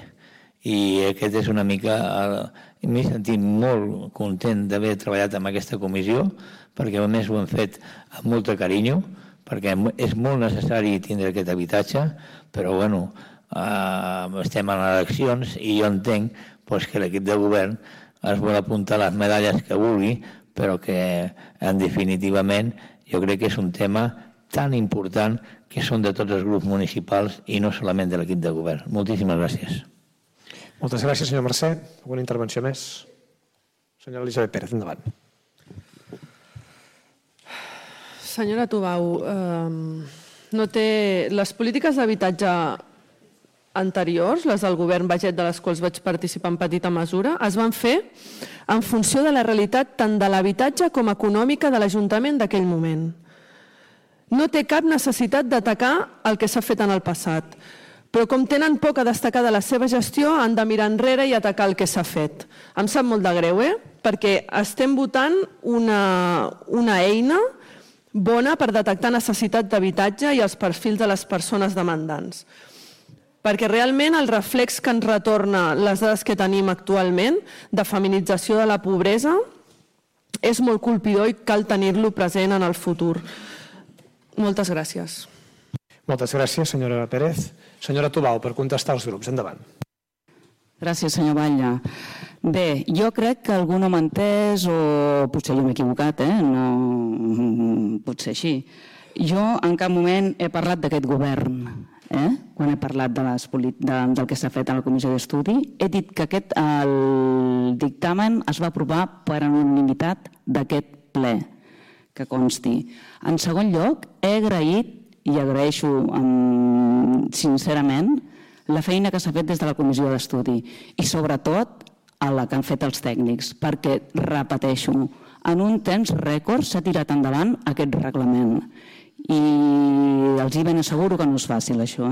I aquest és una mica... M'he sentit molt content d'haver treballat en aquesta comissió, perquè a més ho hem fet amb molt carinyo, perquè és molt necessari tindre aquest habitatge, però bueno, estem en eleccions i jo entenc que l'equip de govern es vol apuntar les medalles que vulgui, però que en definitivament jo crec que és un tema tan important que són de tots els grups municipals i no solament de l'equip de govern. Moltíssimes gràcies. Moltes gràcies, senyor Mercè. Alguna intervenció més? Senyora Elisabet Pérez, endavant. Senyora Tubau, les polítiques d'habitatge anteriors, les del govern Baget, de les quals vaig participar en petita mesura, es van fer en funció de la realitat tant de l'habitatge com econòmica de l'Ajuntament d'aquell moment. No té cap necessitat d'atacar el que s'ha fet en el passat, però com tenen poc a destacar de la seva gestió, han de mirar enrere i atacar el que s'ha fet. Em sap molt de greu, perquè estem votant una eina bona per detectar necessitat d'habitatge i els perfils de les persones demandants. Perquè realment el reflex que ens retorna les dades que tenim actualment de feminització de la pobresa és molt colpidor i cal tenir-lo present en el futur. Moltes gràcies. Moltes gràcies, senyora Pérez. Senyora Tubau, per contestar als grups. Endavant. Gràcies, senyor Batlle. Bé, jo crec que algú no m'ha entès o potser jo m'he equivocat, no pot ser així. Jo en cap moment he parlat d'aquest govern, quan he parlat del que s'ha fet a la comissió d'estudi. He dit que el dictamen es va aprovar per unanimitat d'aquest ple, que consti. En segon lloc, he agraït i agraeixo sincerament la feina que s'ha fet des de la comissió d'estudi i sobretot a la que han fet els tècnics, perquè, repeteixo, en un temps rècord s'ha tirat endavant aquest reglament i els hi ben asseguro que no és fàcil això.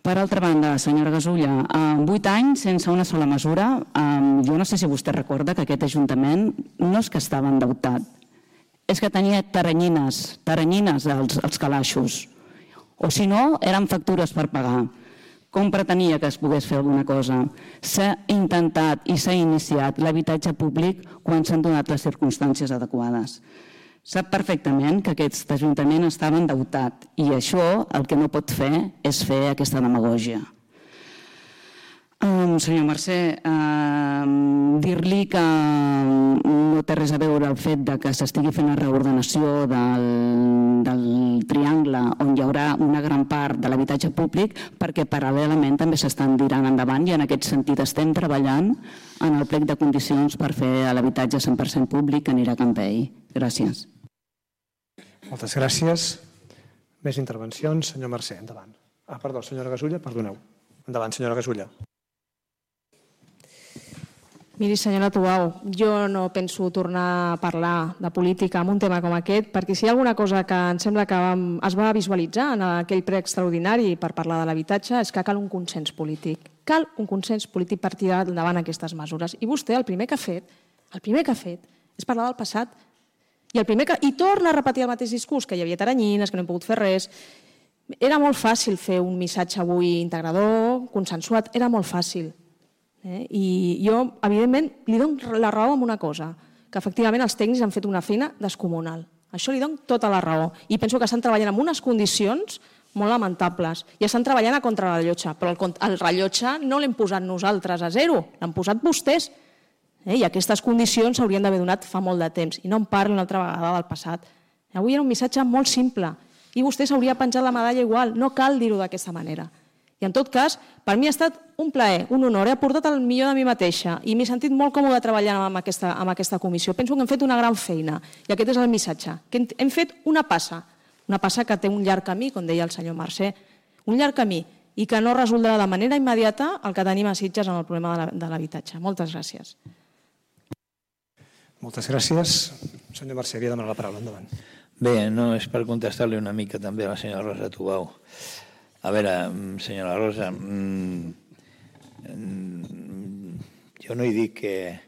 Per altra banda, senyora Gasulla, 8 anys sense una sola mesura, jo no sé si vostè recorda que aquest Ajuntament no és que estava endeutat, és que tenia teranyines als calaixos, o si no, eren factures per pagar. Com pretenia que es pogués fer alguna cosa? S'ha intentat i s'ha iniciat l'habitatge públic quan s'han donat les circumstàncies adequades. Sap perfectament que aquest Ajuntament estava endeutat i això el que no pot fer és fer aquesta demagògia. Senyor Mercè, dir-li que no té res a veure el fet que s'estigui fent la reordenació del triangle on hi haurà una gran part de l'habitatge públic perquè paral·lelament també s'estan tirant endavant i en aquest sentit estem treballant en el plec de condicions per fer l'habitatge 100% públic que anirà a Campell. Gràcies. Moltes gràcies. Més intervencions. Senyor Mercè, endavant. Perdó, senyora Gasulla, perdoneu. Endavant, senyora Gasulla. Miri, senyora Tubau, jo no penso tornar a parlar de política en un tema com aquest, perquè si hi ha alguna cosa que em sembla que es va visualitzar en aquell ple extraordinari per parlar de l'habitatge és que cal un consens polític. Cal un consens polític per tirar endavant aquestes mesures. I vostè el primer que ha fet és parlar del passat. I torna a repetir el mateix discurs, que hi havia teranyines, que no hem pogut fer res. Era molt fàcil fer un missatge avui integrador, consensuat, era molt fàcil. I jo, evidentment, li dono la raó en una cosa, que efectivament els tècnics han fet una feina descomunal. Això li dono tota la raó. I penso que estan treballant en unes condicions molt lamentables. I estan treballant a contrarrellotge, però el rellotge no l'hem posat nosaltres a zero, l'han posat vostès. I aquestes condicions s'haurien d'haver donat fa molt de temps. I no em parli una altra vegada del passat. Avui era un missatge molt simple i vostè s'hauria penjat la medalla igual. No cal dir-ho d'aquesta manera. I en tot cas, per mi ha estat un plaer, un honor. He aportat el millor de mi mateixa i m'he sentit molt còmode treballant amb aquesta comissió. Penso que hem fet una gran feina i aquest és el missatge, que hem fet una passa que té un llarg camí, com deia el senyor Mercè, un llarg camí i que no resoldrà de manera immediata el que tenim a Sitges en el problema de l'habitatge. Moltes gràcies. Moltes gràcies. Senyor Mercè, havia demanat la paraula. Endavant. Bé, no és per contestar-li una mica també a la senyora Rosa Tubau. A veure, senyora Rosa, jo no he dit que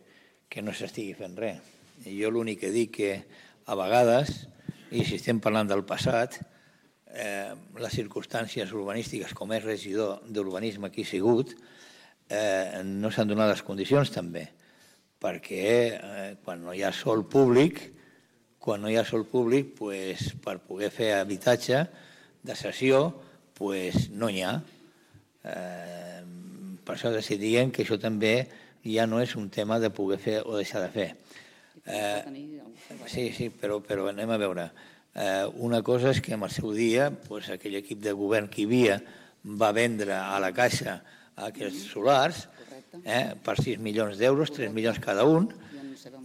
no s'estigui fent res. Jo l'únic que dic que a vegades, i si estem parlant del passat, les circumstàncies urbanístiques, com és regidor d'urbanisme que he sigut, no s'han donat les condicions també, perquè quan no hi ha sòl públic, per poder fer habitatge de cessió, no n'hi ha. Per això decidien que això també ja no és un tema de poder fer o deixar de fer. Sí, però anem a veure. Una cosa és que en el seu dia aquell equip de govern que hi havia va vendre a la Caixa aquests solars per 6 milions d'euros, 3 milions cada un,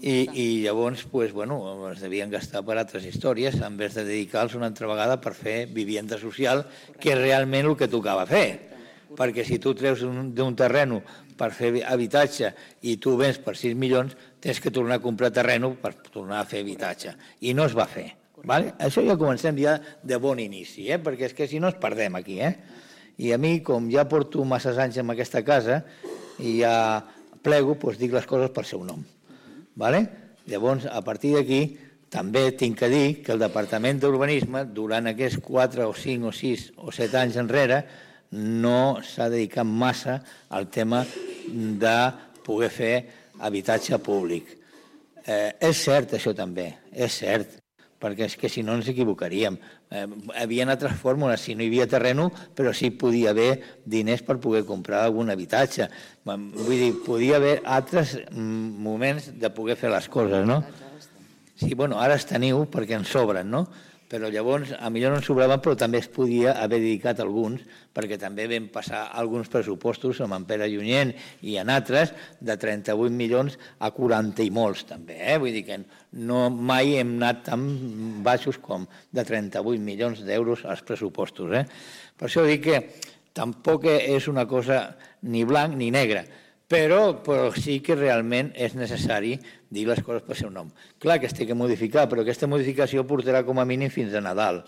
I llavors es devien gastar per altres històries en vez de dedicar-los una altra vegada per fer vivienda social, que és realment el que tocava fer. Perquè si tu treus d'un terreno per fer habitatge i tu vens per 6 milions, tens que tornar a comprar terreno per tornar a fer habitatge. I no es va fer. Això ja comencem ja de bon inici, perquè és que si no ens perdem aquí. I a mi, com ja porto massa anys en aquesta casa i ja plego, doncs dic les coses pel seu nom. Llavors, a partir d'aquí, també tinc que dir que el Departament d'Urbanisme, durant aquests 4 o 5 o 6 o 7 anys enrere, no s'ha dedicat massa al tema de poder fer habitatge públic. És cert, això també, és cert, perquè és que si no ens equivocaríem. Hi havia altres fórmules, si no hi havia terreno, però sí podia haver diners per poder comprar algun habitatge. Vull dir, podia haver altres moments de poder fer les coses, no? Sí, ara els teniu perquè en sobren, no? Però llavors, a millor no en sobraven, però també es podia haver dedicat alguns, perquè també vam passar alguns pressupostos amb en Pere Junyent i en altres de 38 milions a 40 i molts, també. Vull dir que mai hem anat tan baixos com de 38 milions d'euros als pressupostos. Per això dic que tampoc és una cosa ni blanc ni negre, però sí que realment és necessari dir les coses pel seu nom. Clar que es té que modificar, però aquesta modificació portarà com a mínim fins a Nadal.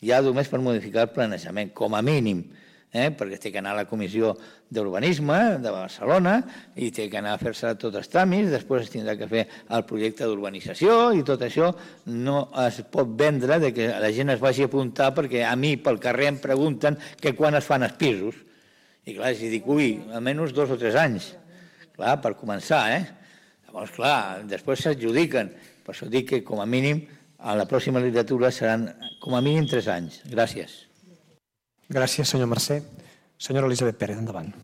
Ja només per modificar el planejament, com a mínim, perquè té que anar a la Comissió d'Urbanisme de Barcelona i té que anar a fer-se tots els tràmits, després es tindrà que fer el projecte d'urbanització i tot això no es pot vendre de que la gent es vagi a apuntar perquè a mi pel carrer em pregunten que quan es fan els pisos. I clar, si dic, almenys 2 o 3 anys, clar, per començar, Llavors, clar, després s'adjudiquen. Per això dic que, com a mínim, a la pròxima legislatura seran, com a mínim, 3 anys. Gràcies. Gràcies, senyor Mercè. Senyora Elisabet Pérez, endavant.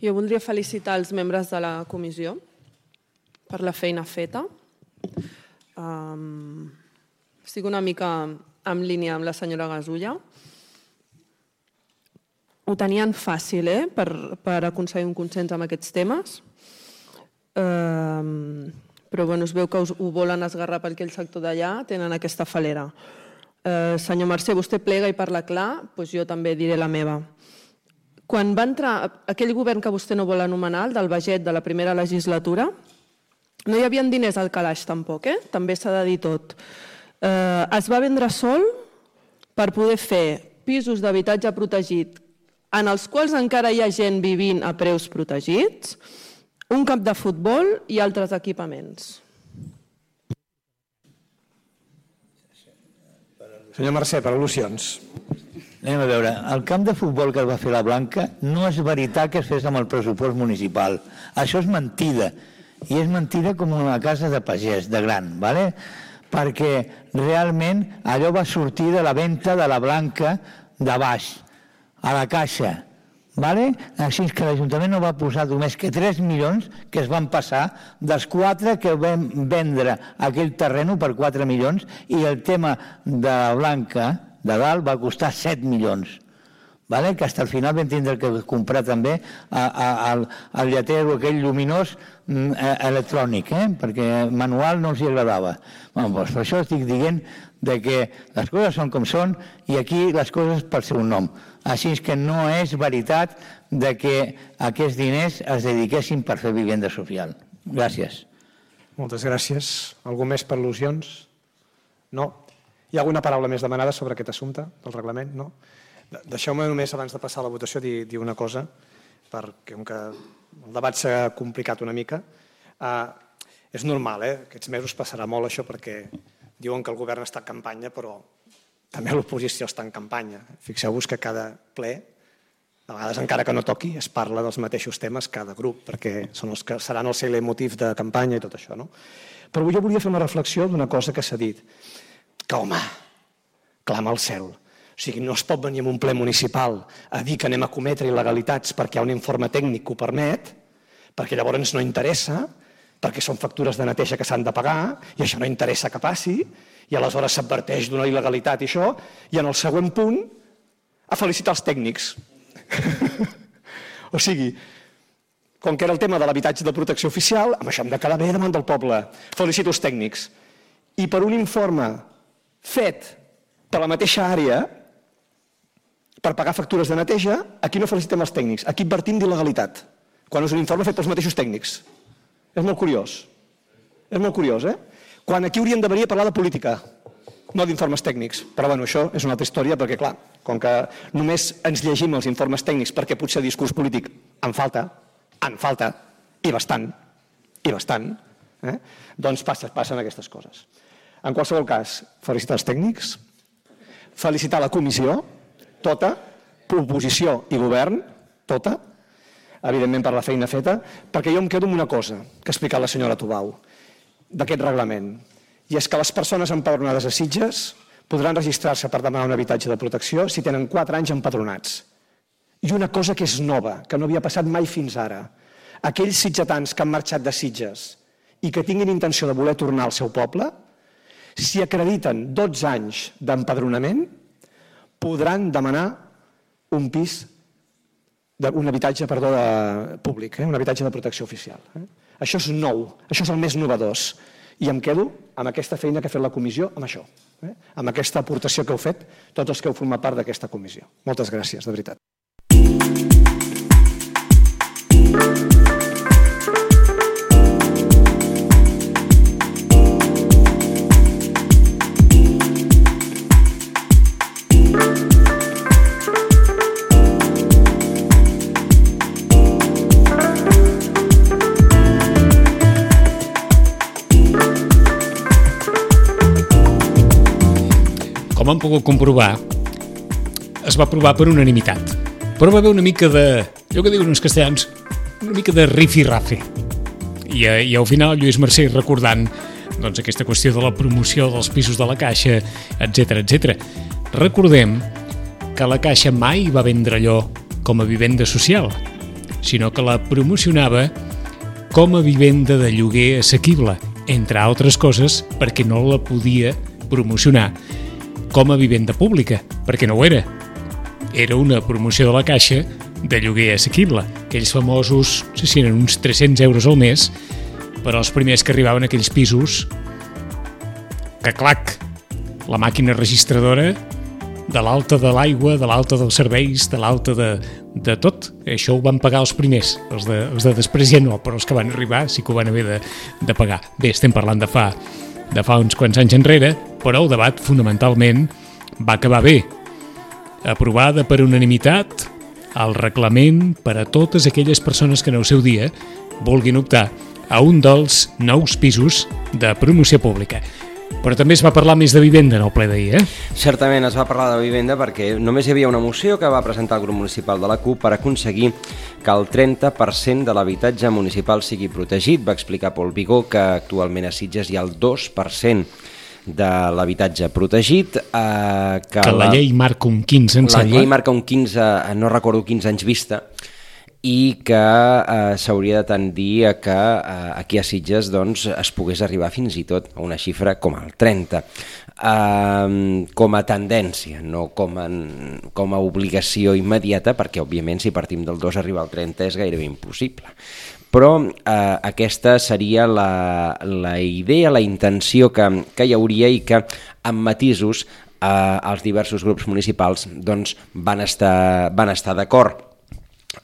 Jo voldria felicitar els membres de la comissió per la feina feta. Estic una mica en línia amb la senyora Gasulla. Ho tenien fàcil, per aconseguir un consens amb aquests temes, però es veu que ho volen esgarrar per aquell sector d'allà, tenen aquesta falera. Senyor Mercè, vostè plega i parla clar, doncs jo també diré la meva. Quan va entrar aquell govern que vostè no vol anomenar, el del Baget de la primera legislatura, no hi havia diners al calaix tampoc, també s'ha de dir tot. Es va vendre sol per poder fer pisos d'habitatge protegit en els quals encara hi ha gent vivint a preus protegits, un camp de futbol i altres equipaments. Senyor Mercè, per al·lusions. Anem a veure, el camp de futbol que es va fer la Blanca no és veritat que es fes amb el pressupost municipal. Això és mentida. I és mentida com una casa de pagès, de gran, perquè realment allò va sortir de la venda de la Blanca de baix, a la caixa. Així que l'Ajuntament no va posar només que 3 milions que es van passar dels 4 que vam vendre aquell terreno per 4 milions i el tema de la Blanca de dalt va costar 7 milions. Que fins al final vam tindre que comprar també el lletero aquell lluminós electrònic, perquè manual no els agradava. Per això estic dient que les coses són com són i aquí les coses pel seu nom. Així que no és veritat que aquests diners es dediquessin per fer vivenda social. Gràcies. Moltes gràcies. Algú més per al·lusions? No? Hi ha alguna paraula més demanada sobre aquest assumpte del reglament? No? Deixeu-me només, abans de passar a la votació, dir una cosa, perquè com que el debat s'ha complicat una mica. És normal, aquests mesos passarà molt això, perquè diuen que el govern està en campanya, però també l'oposició està en campanya. Fixeu-vos que cada ple, a vegades encara que no toqui, es parla dels mateixos temes cada grup, perquè són els que seran els motius de campanya i tot això. Però jo volia fer una reflexió d'una cosa que s'ha dit, que, home, clama al cel. O sigui, no es pot venir en un ple municipal a dir que anem a cometre il·legalitats perquè hi ha un informe tècnic que ho permet, perquè llavors no interessa, perquè són factures de neteja que s'han de pagar i això no interessa que passi, i aleshores s'adverteix d'una il·legalitat i això, i en el següent punt a felicitar els tècnics. O sigui, com que era el tema de l'habitatge de protecció oficial, amb això hem de quedar bé davant del poble. Felicito els tècnics. I per un informe fet per la mateixa àrea, per pagar factures de neteja, aquí no felicitem els tècnics, aquí advertim d'il·legalitat, quan és un informe fet pels mateixos tècnics. És molt curiós. És molt curiós, Quan aquí hauríem de venir a parlar de política, no d'informes tècnics. Però bueno, això és una altra història, perquè clar, com que només ens llegim els informes tècnics perquè potser discurs polític en falta, i bastant, doncs passen aquestes coses. En qualsevol cas, felicitar els tècnics, felicitar la comissió, tota, oposició i govern, tota, evidentment per la feina feta, perquè jo em quedo amb una cosa que ha explicat la senyora Tubau d'aquest reglament, i és que les persones empadronades a Sitges podran registrar-se per demanar un habitatge de protecció si tenen 4 anys empadronats. I una cosa que és nova, que no havia passat mai fins ara, aquells sitgetans que han marxat de Sitges i que tinguin intenció de voler tornar al seu poble, si acrediten 12 anys d'empadronament, podran demanar un pis, un habitatge públic, un habitatge de protecció oficial. Això és nou, això és el més novedós. I em quedo amb aquesta feina que ha fet la comissió, amb això, amb aquesta aportació que heu fet tots els que heu format part d'aquesta comissió. Moltes gràcies, de veritat. Com han pogut comprovar, es va aprovar per unanimitat. Però va haver una mica de, allò que diuen els castellans, una mica de rifirrafe. I al final Lluís Mercè recordant doncs, aquesta qüestió de la promoció dels pisos de la Caixa, etc. Recordem que la Caixa mai va vendre allò com a vivenda social, sinó que la promocionava com a vivenda de lloguer assequible, entre altres coses perquè no la podia promocionar com a vivenda pública, perquè no ho era. Era una promoció de la Caixa de lloguer assequible. Aquells famosos, no sé si eren uns 300 euros al mes, per als primers que arribaven a aquells pisos que, clac, la màquina registradora de l'alta de l'aigua, de l'alta dels serveis, de l'alta de tot. Això ho van pagar els primers. Els de després ja no, però els que van arribar sí que ho van haver de pagar. Bé, estem parlant de fa uns quants anys enrere, però el debat fonamentalment va acabar bé. Aprovada per unanimitat el reglament per a totes aquelles persones que en el seu dia vulguin optar a un dels nous pisos de promoció pública. Però també es va parlar més de vivenda en el ple d'ahir, Certament es va parlar de vivenda perquè només hi havia una moció que va presentar el grup municipal de la CUP per aconseguir que el 30% de l'habitatge municipal sigui protegit. Va explicar Pol Vigó que actualment a Sitges hi ha el 2% de l'habitatge protegit. Que la llei marca un 15, em sembla. La llei marca un 15, no recordo 15 anys vista, i que s'hauria de tendir a que aquí a Sitges doncs, es pogués arribar fins i tot a una xifra com el 30, com a tendència, no com a obligació immediata, perquè òbviament si partim del 2 arribar al 30 és gairebé impossible. Però aquesta seria la idea, la intenció que hi hauria i que amb matisos els diversos grups municipals doncs, van estar d'acord.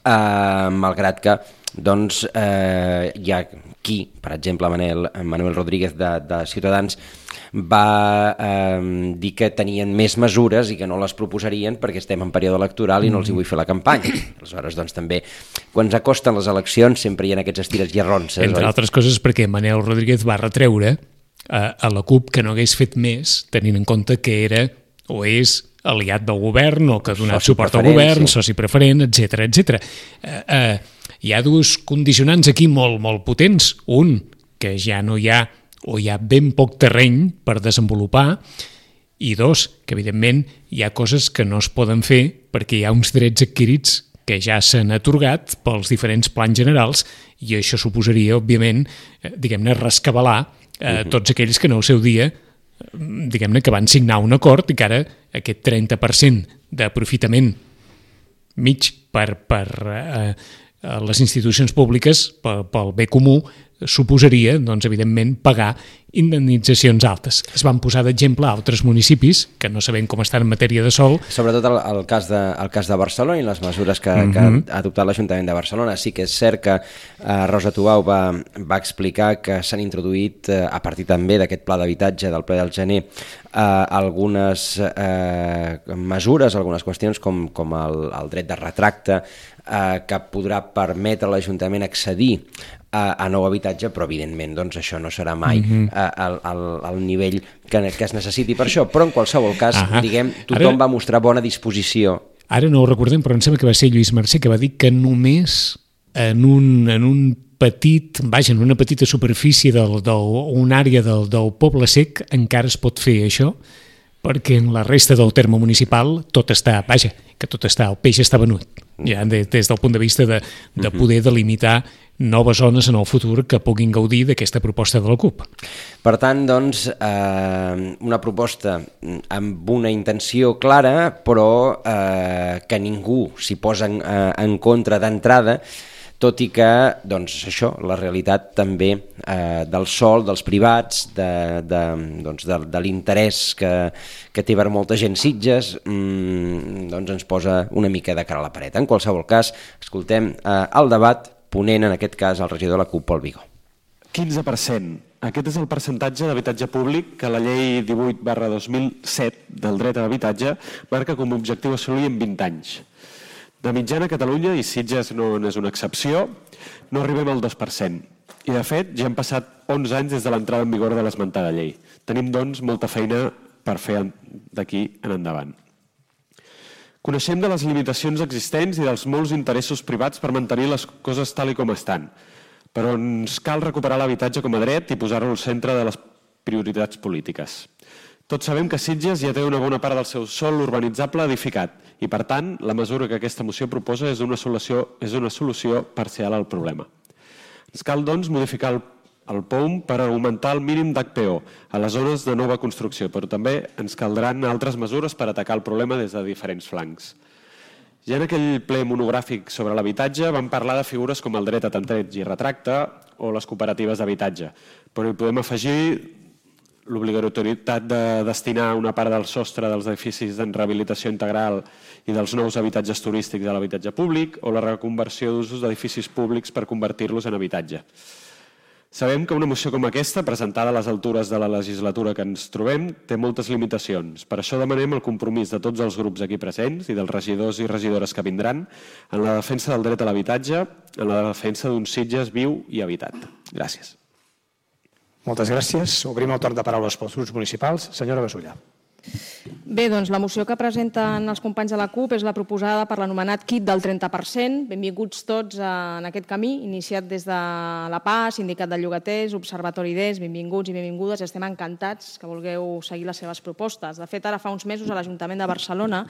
Malgrat que doncs, hi ha qui, per exemple Manuel Rodríguez de Ciutadans, va dir que tenien més mesures i que no les proposarien perquè estem en període electoral i no els hi vull fer la campanya. Aleshores, doncs, també, quan s'acosten les eleccions sempre hi ha aquests estires i arronses. Entre altres coses perquè Manuel Rodríguez va retreure a la CUP que no hagués fet més, tenint en compte que era o és aliat del govern o que ha donat suport al govern, soci preferent, etc. Hi ha dos condicionants aquí molt potents. Un, que ja no hi ha o hi ha ben poc terreny per desenvolupar, i dos, que evidentment hi ha coses que no es poden fer perquè hi ha uns drets adquirits que ja s'han atorgat pels diferents plans generals i això suposaria, òbviament, diguem-ne, rescabalar tots aquells que en el seu dia diguem-ne que van signar un acord i que ara aquest 30% d'aprofitament mig per les institucions públiques, pel bé comú, suposaria, doncs, evidentment, pagar indemnitzacions altes. Es van posar d'exemple altres municipis que no sabem com estan en matèria de sòl. Sobretot el cas de Barcelona i les mesures que ha adoptat l'Ajuntament de Barcelona. Sí que és cert que Rosa Tubau va explicar que s'han introduït, a partir també d'aquest pla d'habitatge del ple del gener, algunes mesures, algunes qüestions com el dret de retracte, que podrà permetre a l'Ajuntament accedir a nou habitatge, però evidentment doncs, això no serà mai al nivell que es necessiti per això, però en qualsevol cas, diguem, tothom va mostrar bona disposició. Ara no ho recordem, però em sembla que va ser Lluís Mercè que va dir que només en una petita superfície d'una àrea del Poble Sec encara es pot fer això, perquè en la resta del terme municipal tot està, el peix està venut, ja des del punt de vista de poder delimitar noves zones en el futur que puguin gaudir d'aquesta proposta de la CUP. Per tant, doncs, una proposta amb una intenció clara, però que ningú s'hi posa en contra d'entrada, tot i que, doncs, això, la realitat també del sòl, dels privats, de l'interès que té per molta gent Sitges, doncs ens posa una mica de cara a la paret. En qualsevol cas, escoltem el debat, ponent en aquest cas el regidor de la CUP, Pol Vigó. 15%. Aquest és el percentatge d'habitatge públic que la llei 18/2007 del dret a l'habitatge marca com a objectiu assolir en 20 anys. De mitjana a Catalunya, i Sitges no és una excepció, no arribem al 2%. I de fet ja han passat 11 anys des de l'entrada en vigor de l'esmentada llei. Tenim, doncs, molta feina per fer d'aquí en endavant. Coneixem de les limitacions existents i dels molts interessos privats per mantenir les coses tal i com estan, però ens cal recuperar l'habitatge com a dret i posar-lo al centre de les prioritats polítiques. Tots sabem que Sitges ja té una bona part del seu sòl urbanitzable edificat i, per tant, la mesura que aquesta moció proposa és una solució parcial al problema. Ens cal, doncs, modificar el POUM per augmentar el mínim d'HPO a les zones de nova construcció, però també ens caldran altres mesures per atacar el problema des de diferents flancs. Ja en aquell ple monogràfic sobre l'habitatge vam parlar de figures com el dret a tanteig i retracte o les cooperatives d'habitatge, però hi podem afegir l'obligatorietat de destinar una part del sostre dels edificis en rehabilitació integral i dels nous habitatges turístics a l'habitatge públic o la reconversió d'usos d'edificis públics per convertir-los en habitatge. Sabem que una moció com aquesta, presentada a les altures de la legislatura que ens trobem, té moltes limitacions. Per això demanem el compromís de tots els grups aquí presents i dels regidors i regidores que vindran en la defensa del dret a l'habitatge, en la defensa d'un Sitges viu i habitat. Gràcies. Moltes gràcies. Obrim el torn de paraules pels grups municipals. Senyora Gasulla. Bé, doncs la moció que presenten els companys de la CUP és la proposada per l'anomenat kit del 30%. Benvinguts tots en aquest camí, iniciat des de la PA, Sindicat de Llogaters, Observatori d'ES, benvinguts i benvingudes. Estem encantats que vulgueu seguir les seves propostes. De fet, ara fa uns mesos l'Ajuntament de Barcelona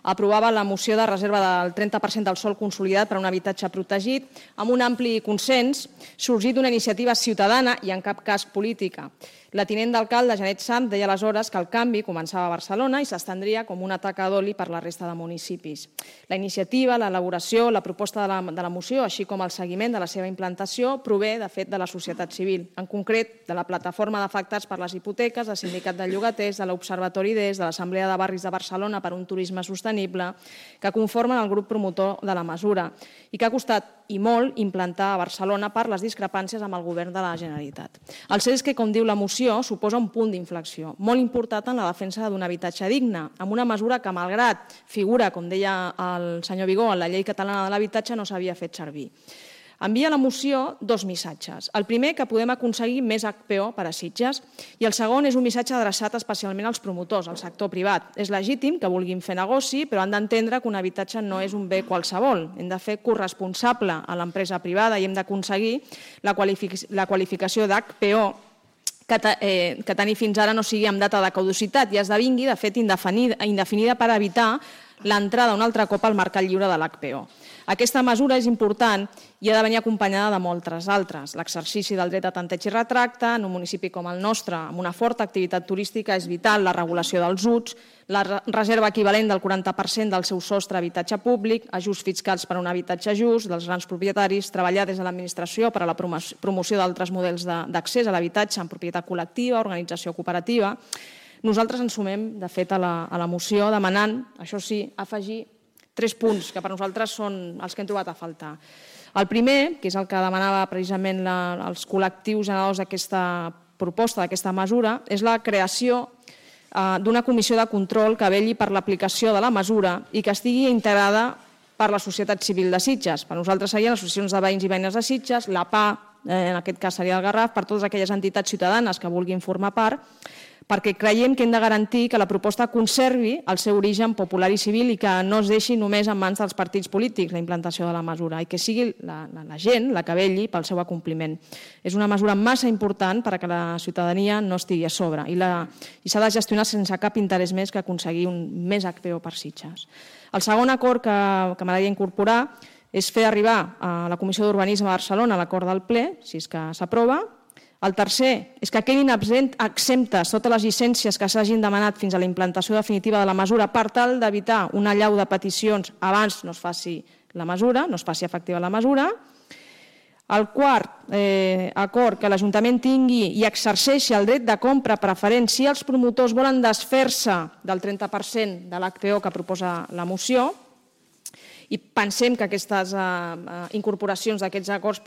aprovava la moció de reserva del 30% del sòl consolidat per a un habitatge protegit amb un ampli consens sorgit d'una iniciativa ciutadana i en cap cas política. La tinent d'alcalde, Janet Sam, deia aleshores que el canvi començava a Barcelona i s'estendria com una taca d'oli per la resta de municipis. La iniciativa, l'elaboració, la proposta de la moció, així com el seguiment de la seva implantació, prové, de fet, de la societat civil, en concret de la plataforma d'afectats per les hipoteques, del Sindicat de Llogaters, de l'Observatori d'ES, de l'Assemblea de Barris de Barcelona per un turisme sostenible, que conformen el grup promotor de la mesura i que ha costat i molt implantar a Barcelona per les discrepàncies amb el govern de la Generalitat. El cert és que, com diu la moció, suposa un punt d'inflexió molt important en la defensa d'un habitatge digne, amb una mesura que, malgrat figura, com deia el senyor Vigó, en la llei catalana de l'habitatge, no s'havia fet servir. Envia la moció dos missatges. El primer, que podem aconseguir més HPO per a Sitges, i el segon és un missatge adreçat especialment als promotors, al sector privat. És legítim que vulguin fer negoci, però han d'entendre que un habitatge no és un bé qualsevol. Hem de fer corresponsable a l'empresa privada i hem d'aconseguir la qualificació d'HPO que tenir fins ara no sigui amb data de caducitat i esdevingui, de fet, indefinida per evitar l'entrada un altre cop al mercat lliure de l'HPO. Aquesta mesura és important i ha de venir acompanyada de moltes altres. L'exercici del dret a tanteig i retracte en un municipi com el nostre, amb una forta activitat turística, és vital la regulació dels uts, la reserva equivalent del 40% del seu sostre a habitatge públic, ajuts fiscals per a un habitatge just dels grans propietaris, treballar des de l'administració per a la promoció d'altres models d'accés a l'habitatge en propietat col·lectiva, organització cooperativa. Nosaltres ens sumem, de fet, a la moció demanant, això sí, afegir 3 punts que per nosaltres són els que hem trobat a faltar. El primer, que és el que demanava precisament els col·lectius generadors d'aquesta proposta, d'aquesta mesura, és la creació d'una comissió de control que vetlli per l'aplicació de la mesura i que estigui integrada per la societat civil de Sitges. Per nosaltres serien les associacions de veïns i veïnes de Sitges, la PA, en aquest cas seria el Garraf, per totes aquelles entitats ciutadanes que vulguin formar part, perquè creiem que hem de garantir que la proposta conservi el seu origen popular i civil i que no es deixi només en mans dels partits polítics la implantació de la mesura i que sigui la gent la que vetlli pel seu acompliment. És una mesura massa important perquè la ciutadania no estigui a sobre i s'ha de gestionar sense cap interès més que aconseguir un més HPO per Sitges. El segon acord que m'agradaria incorporar és fer arribar a la Comissió d'Urbanisme de Barcelona l'acord del ple, si és que s'aprova. El tercer és que quedin exemptes totes les llicències que s'hagin demanat fins a la implantació definitiva de la mesura per tal d'evitar una allau de peticions abans no es faci la mesura, no es faci efectiva la mesura. El quart acord, que l'Ajuntament tingui i exerceixi el dret de compra preferent si els promotors volen desfer-se del 30% de l'HPO que proposa la moció. I pensem que aquestes incorporacions d'aquests acords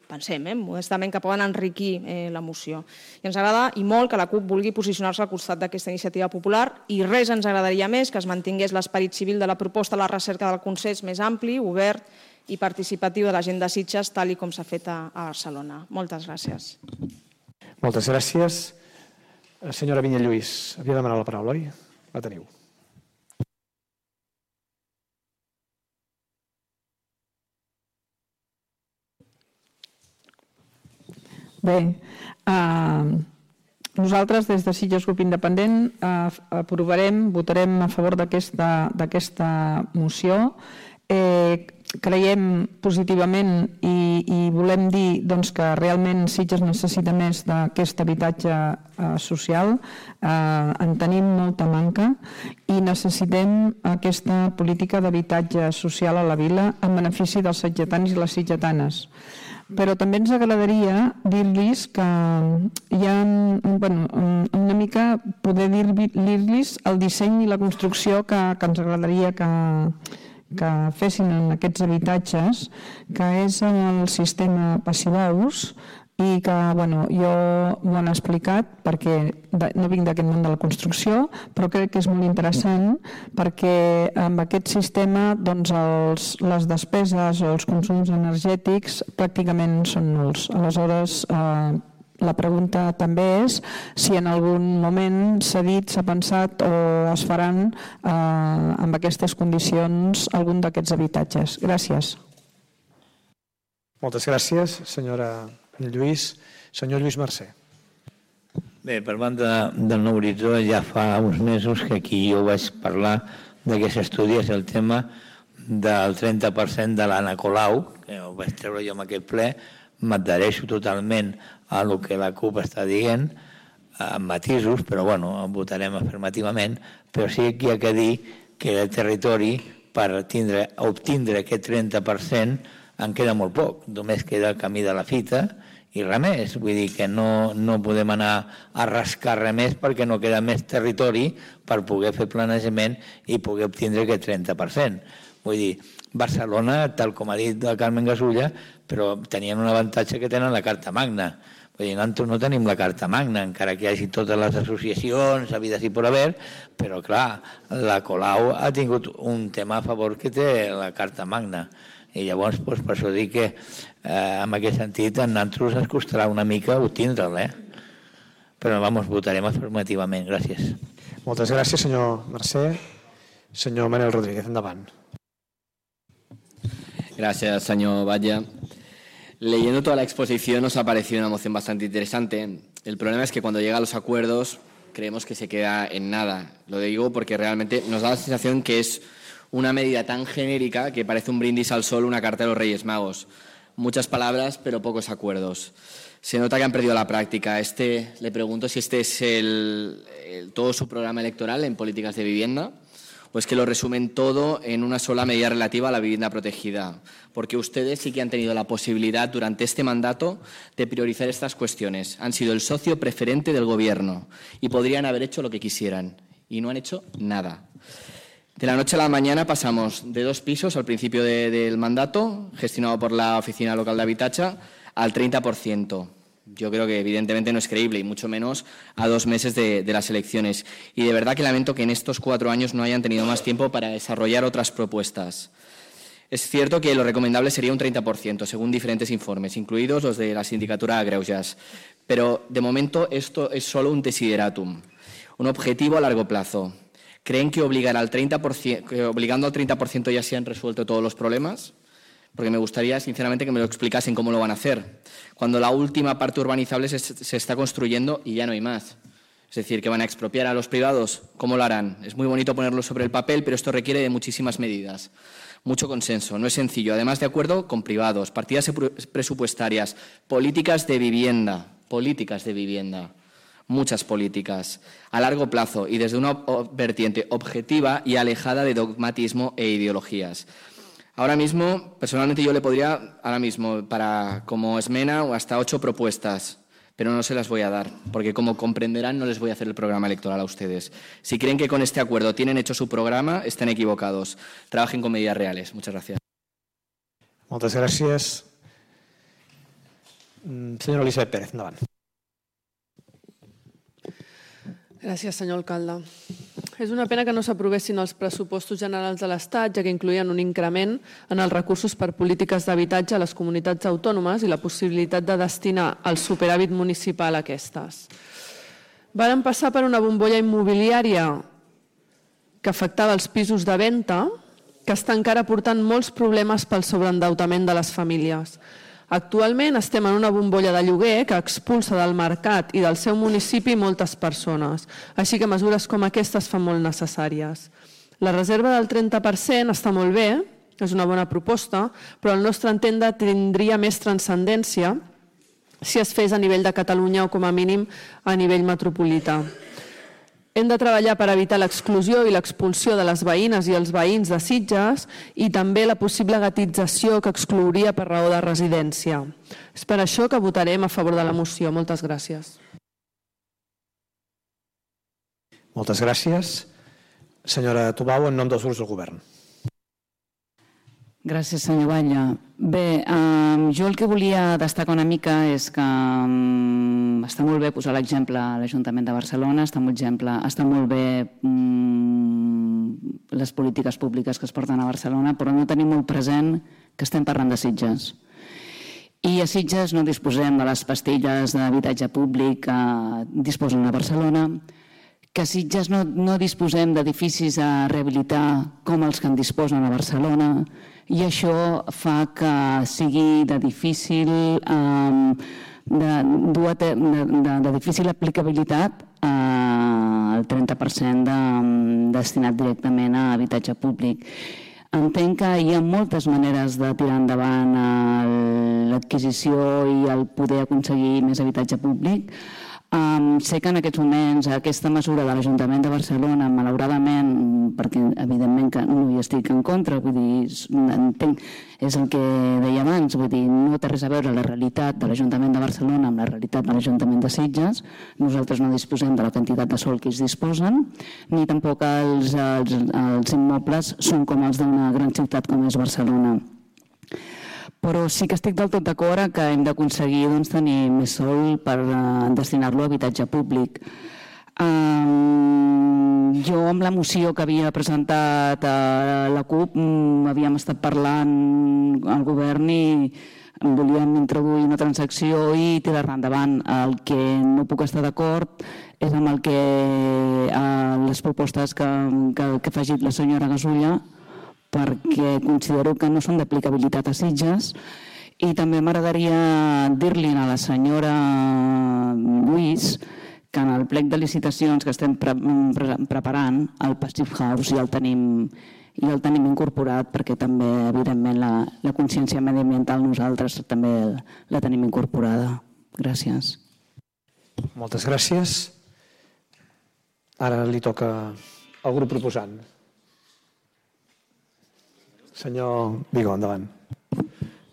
pensem, modestament, que poden enriquir la moció. I ens agrada i molt que la CUP vulgui posicionar-se al costat d'aquesta iniciativa popular i res ens agradaria més que es mantingués l'esperit civil de la proposta a la recerca del consens més ampli, obert i participatiu de la gent de Sitges, tal com s'ha fet a Barcelona. Moltes gràcies. Moltes gràcies. Senyora Vinyet Lluís, havia demanat la paraula, oi? La teniu. Bé, nosaltres des de Sitges Grup Independent votarem a favor d'aquesta moció. Creiem positivament i volem dir que realment Sitges necessita més d'aquest habitatge social. En tenim molta manca i necessitem aquesta política d'habitatge social a la vila en benefici dels sitgetans i les sitgetanes. Però també ens agradaria dir-los que hi ha una mica poder dir-los el disseny i la construcció que ens agradaria que fessin en aquests habitatges, que és el sistema passivaus i que jo ho han explicat perquè no vinc d'aquest món de la construcció, però crec que és molt interessant perquè amb aquest sistema les despeses o els consums energètics pràcticament són nuls. Aleshores, la pregunta també és si en algun moment s'ha dit, s'ha pensat o es faran amb aquestes condicions algun d'aquests habitatges. Gràcies. Moltes gràcies, senyora Lluís. Senyor Lluís Mercè. Bé, per banda del Nou Horitzó ja fa uns mesos que aquí jo vaig parlar que s'estudiés el tema del 30% de l'Anna Colau, que ho vaig treure jo en aquest ple. M'adhereixo totalment a el que la CUP està dient, amb matisos, però votarem afirmativament, però sí que hi ha que dir que el territori per obtindre aquest 30% en queda molt poc, només queda el camí de la fita i res més, vull dir que no podem anar a rascar res més perquè no queda més territori per poder fer planejament i poder obtindre aquest 30%. Vull dir, Barcelona, tal com ha dit el Carmen Gasulla, però tenien un avantatge que tenen la Carta Magna. Vull dir, nosaltres no tenim la Carta Magna, encara que hi hagi totes les associacions, habides i por haver, però clar, la Colau ha tingut un tema a favor que té la Carta Magna. I llavors, per això dic que en aquest sentit a nosaltres ens costarà una mica obtindre'l, però votarem afirmativament. Gràcies. Moltes gràcies, senyor Mercè. Senyor Manel Rodríguez, endavant. Gracias, señor Batlle. Leyendo toda la exposición nos ha parecido una moción bastante interesante. El problema es que cuando llega a los acuerdos creemos que se queda en nada. Lo digo porque realmente nos da la sensación que es Una medida tan genérica que parece un brindis al sol, una carta de los Reyes Magos. Muchas palabras, pero pocos acuerdos. Se nota que han perdido la práctica. Le pregunto si este es todo su programa electoral en políticas de vivienda, o es que lo resumen todo en una sola medida relativa a la vivienda protegida. Porque ustedes sí que han tenido la posibilidad durante este mandato de priorizar estas cuestiones. Han sido el socio preferente del Gobierno y podrían haber hecho lo que quisieran. Y no han hecho nada. De la noche a la mañana pasamos de 2 pisos al principio del mandato, gestionado por la Oficina Local de Habitatge, al 30%. Yo creo que evidentemente no es creíble y mucho menos a 2 meses de las elecciones. Y de verdad que lamento que en estos 4 años no hayan tenido más tiempo para desarrollar otras propuestas. Es cierto que lo recomendable sería un 30%, según diferentes informes, incluidos los de la Sindicatura de Greuges. Pero de momento esto es solo un desideratum, un objetivo a largo plazo. ¿Creen que obligando al 30% ya se han resuelto todos los problemas? Porque me gustaría, sinceramente, que me lo explicasen cómo lo van a hacer. Cuando la última parte urbanizable se está construyendo y ya no hay más. Es decir, que van a expropiar a los privados. ¿Cómo lo harán? Es muy bonito ponerlo sobre el papel, pero esto requiere de muchísimas medidas. Mucho consenso, no es sencillo. Además, de acuerdo con privados, partidas presupuestarias, políticas de vivienda. Muchas políticas, a largo plazo y desde una vertiente objetiva y alejada de dogmatismo e ideologías. Ahora mismo, personalmente yo le podría, como esmena, hasta 8 propuestas, pero no se las voy a dar, porque como comprenderán no les voy a hacer el programa electoral a ustedes. Si creen que con este acuerdo tienen hecho su programa, están equivocados. Trabajen con medidas reales. Muchas gracias. Moltes gràcies. Senyora Elisabet Pérez, endavant. Gràcies, senyor alcalde. És una pena que no s'aprovessin els pressupostos generals de l'Estat, ja que incloïen un increment en els recursos per polítiques d'habitatge a les comunitats autònomes i la possibilitat de destinar el superàvit municipal a aquestes. Varen passar per una bombolla immobiliària que afectava els pisos de venda, que està encara portant molts problemes pel sobreendeutament de les famílies. Actualment estem en una bombolla de lloguer que expulsa del mercat i del seu municipi moltes persones, així que mesures com aquestes fan molt necessàries. La reserva del 30% està molt bé, és una bona proposta, però al nostre entendre tindria més transcendència si es fes a nivell de Catalunya o com a mínim a nivell metropolità. Hem de treballar per evitar l'exclusió i l'expulsió de les veïnes i els veïns de Sitges i també la possible guetització que exclouria per raó de residència. És per això que votarem a favor de la moció. Moltes gràcies. Moltes gràcies. Senyora Tubau, en nom dels grups del Govern. Gràcies, senyor Batlle. Bé, jo el que volia destacar una mica és que està molt bé posar l'exemple a l'Ajuntament de Barcelona, està molt bé les polítiques públiques que es porten a Barcelona, però no tenim molt present que estem parlant de Sitges. I a Sitges no disposem de les pastilles d'habitatge públic que disposen a Barcelona, que a Sitges no disposem d'edificis a rehabilitar com els que en disposen a Barcelona, i això fa que sigui de difícil aplicabilitat el 30% destinat directament a habitatge públic. Entenc que hi ha moltes maneres de tirar endavant l'adquisició i el poder aconseguir més habitatge públic. Sé que en aquests moments aquesta mesura de l'Ajuntament de Barcelona, malauradament, perquè evidentment que no hi estic en contra, vull dir, entenc, és el que deia abans, vull dir, no té res a veure la realitat de l'Ajuntament de Barcelona amb la realitat de l'Ajuntament de Sitges. Nosaltres no disposem de la quantitat de sòl que ells disposen, ni tampoc els immobles són com els d'una gran ciutat com és Barcelona. Però sí que estic del tot d'acord que hem d'aconseguir tenir més sòl per destinar-lo a habitatge públic. Jo amb la moció que havia presentat a la CUP havíem estat parlant al govern i volíem introduir una transacció i tirar-la endavant. El que no puc estar d'acord és amb les propostes que ha afegit la senyora Gasulla, perquè considero que no són d'aplicabilitat a Sitges, i també m'agradaria dir-li a la senyora Lluís que en el plec de licitacions que estem preparant el Passive House ja el tenim i el tenim incorporat perquè també, evidentment, la consciència mediambiental nosaltres també la tenim incorporada. Gràcies. Moltes gràcies. Ara li toca al grup proposant. Senyor Vigo, endavant.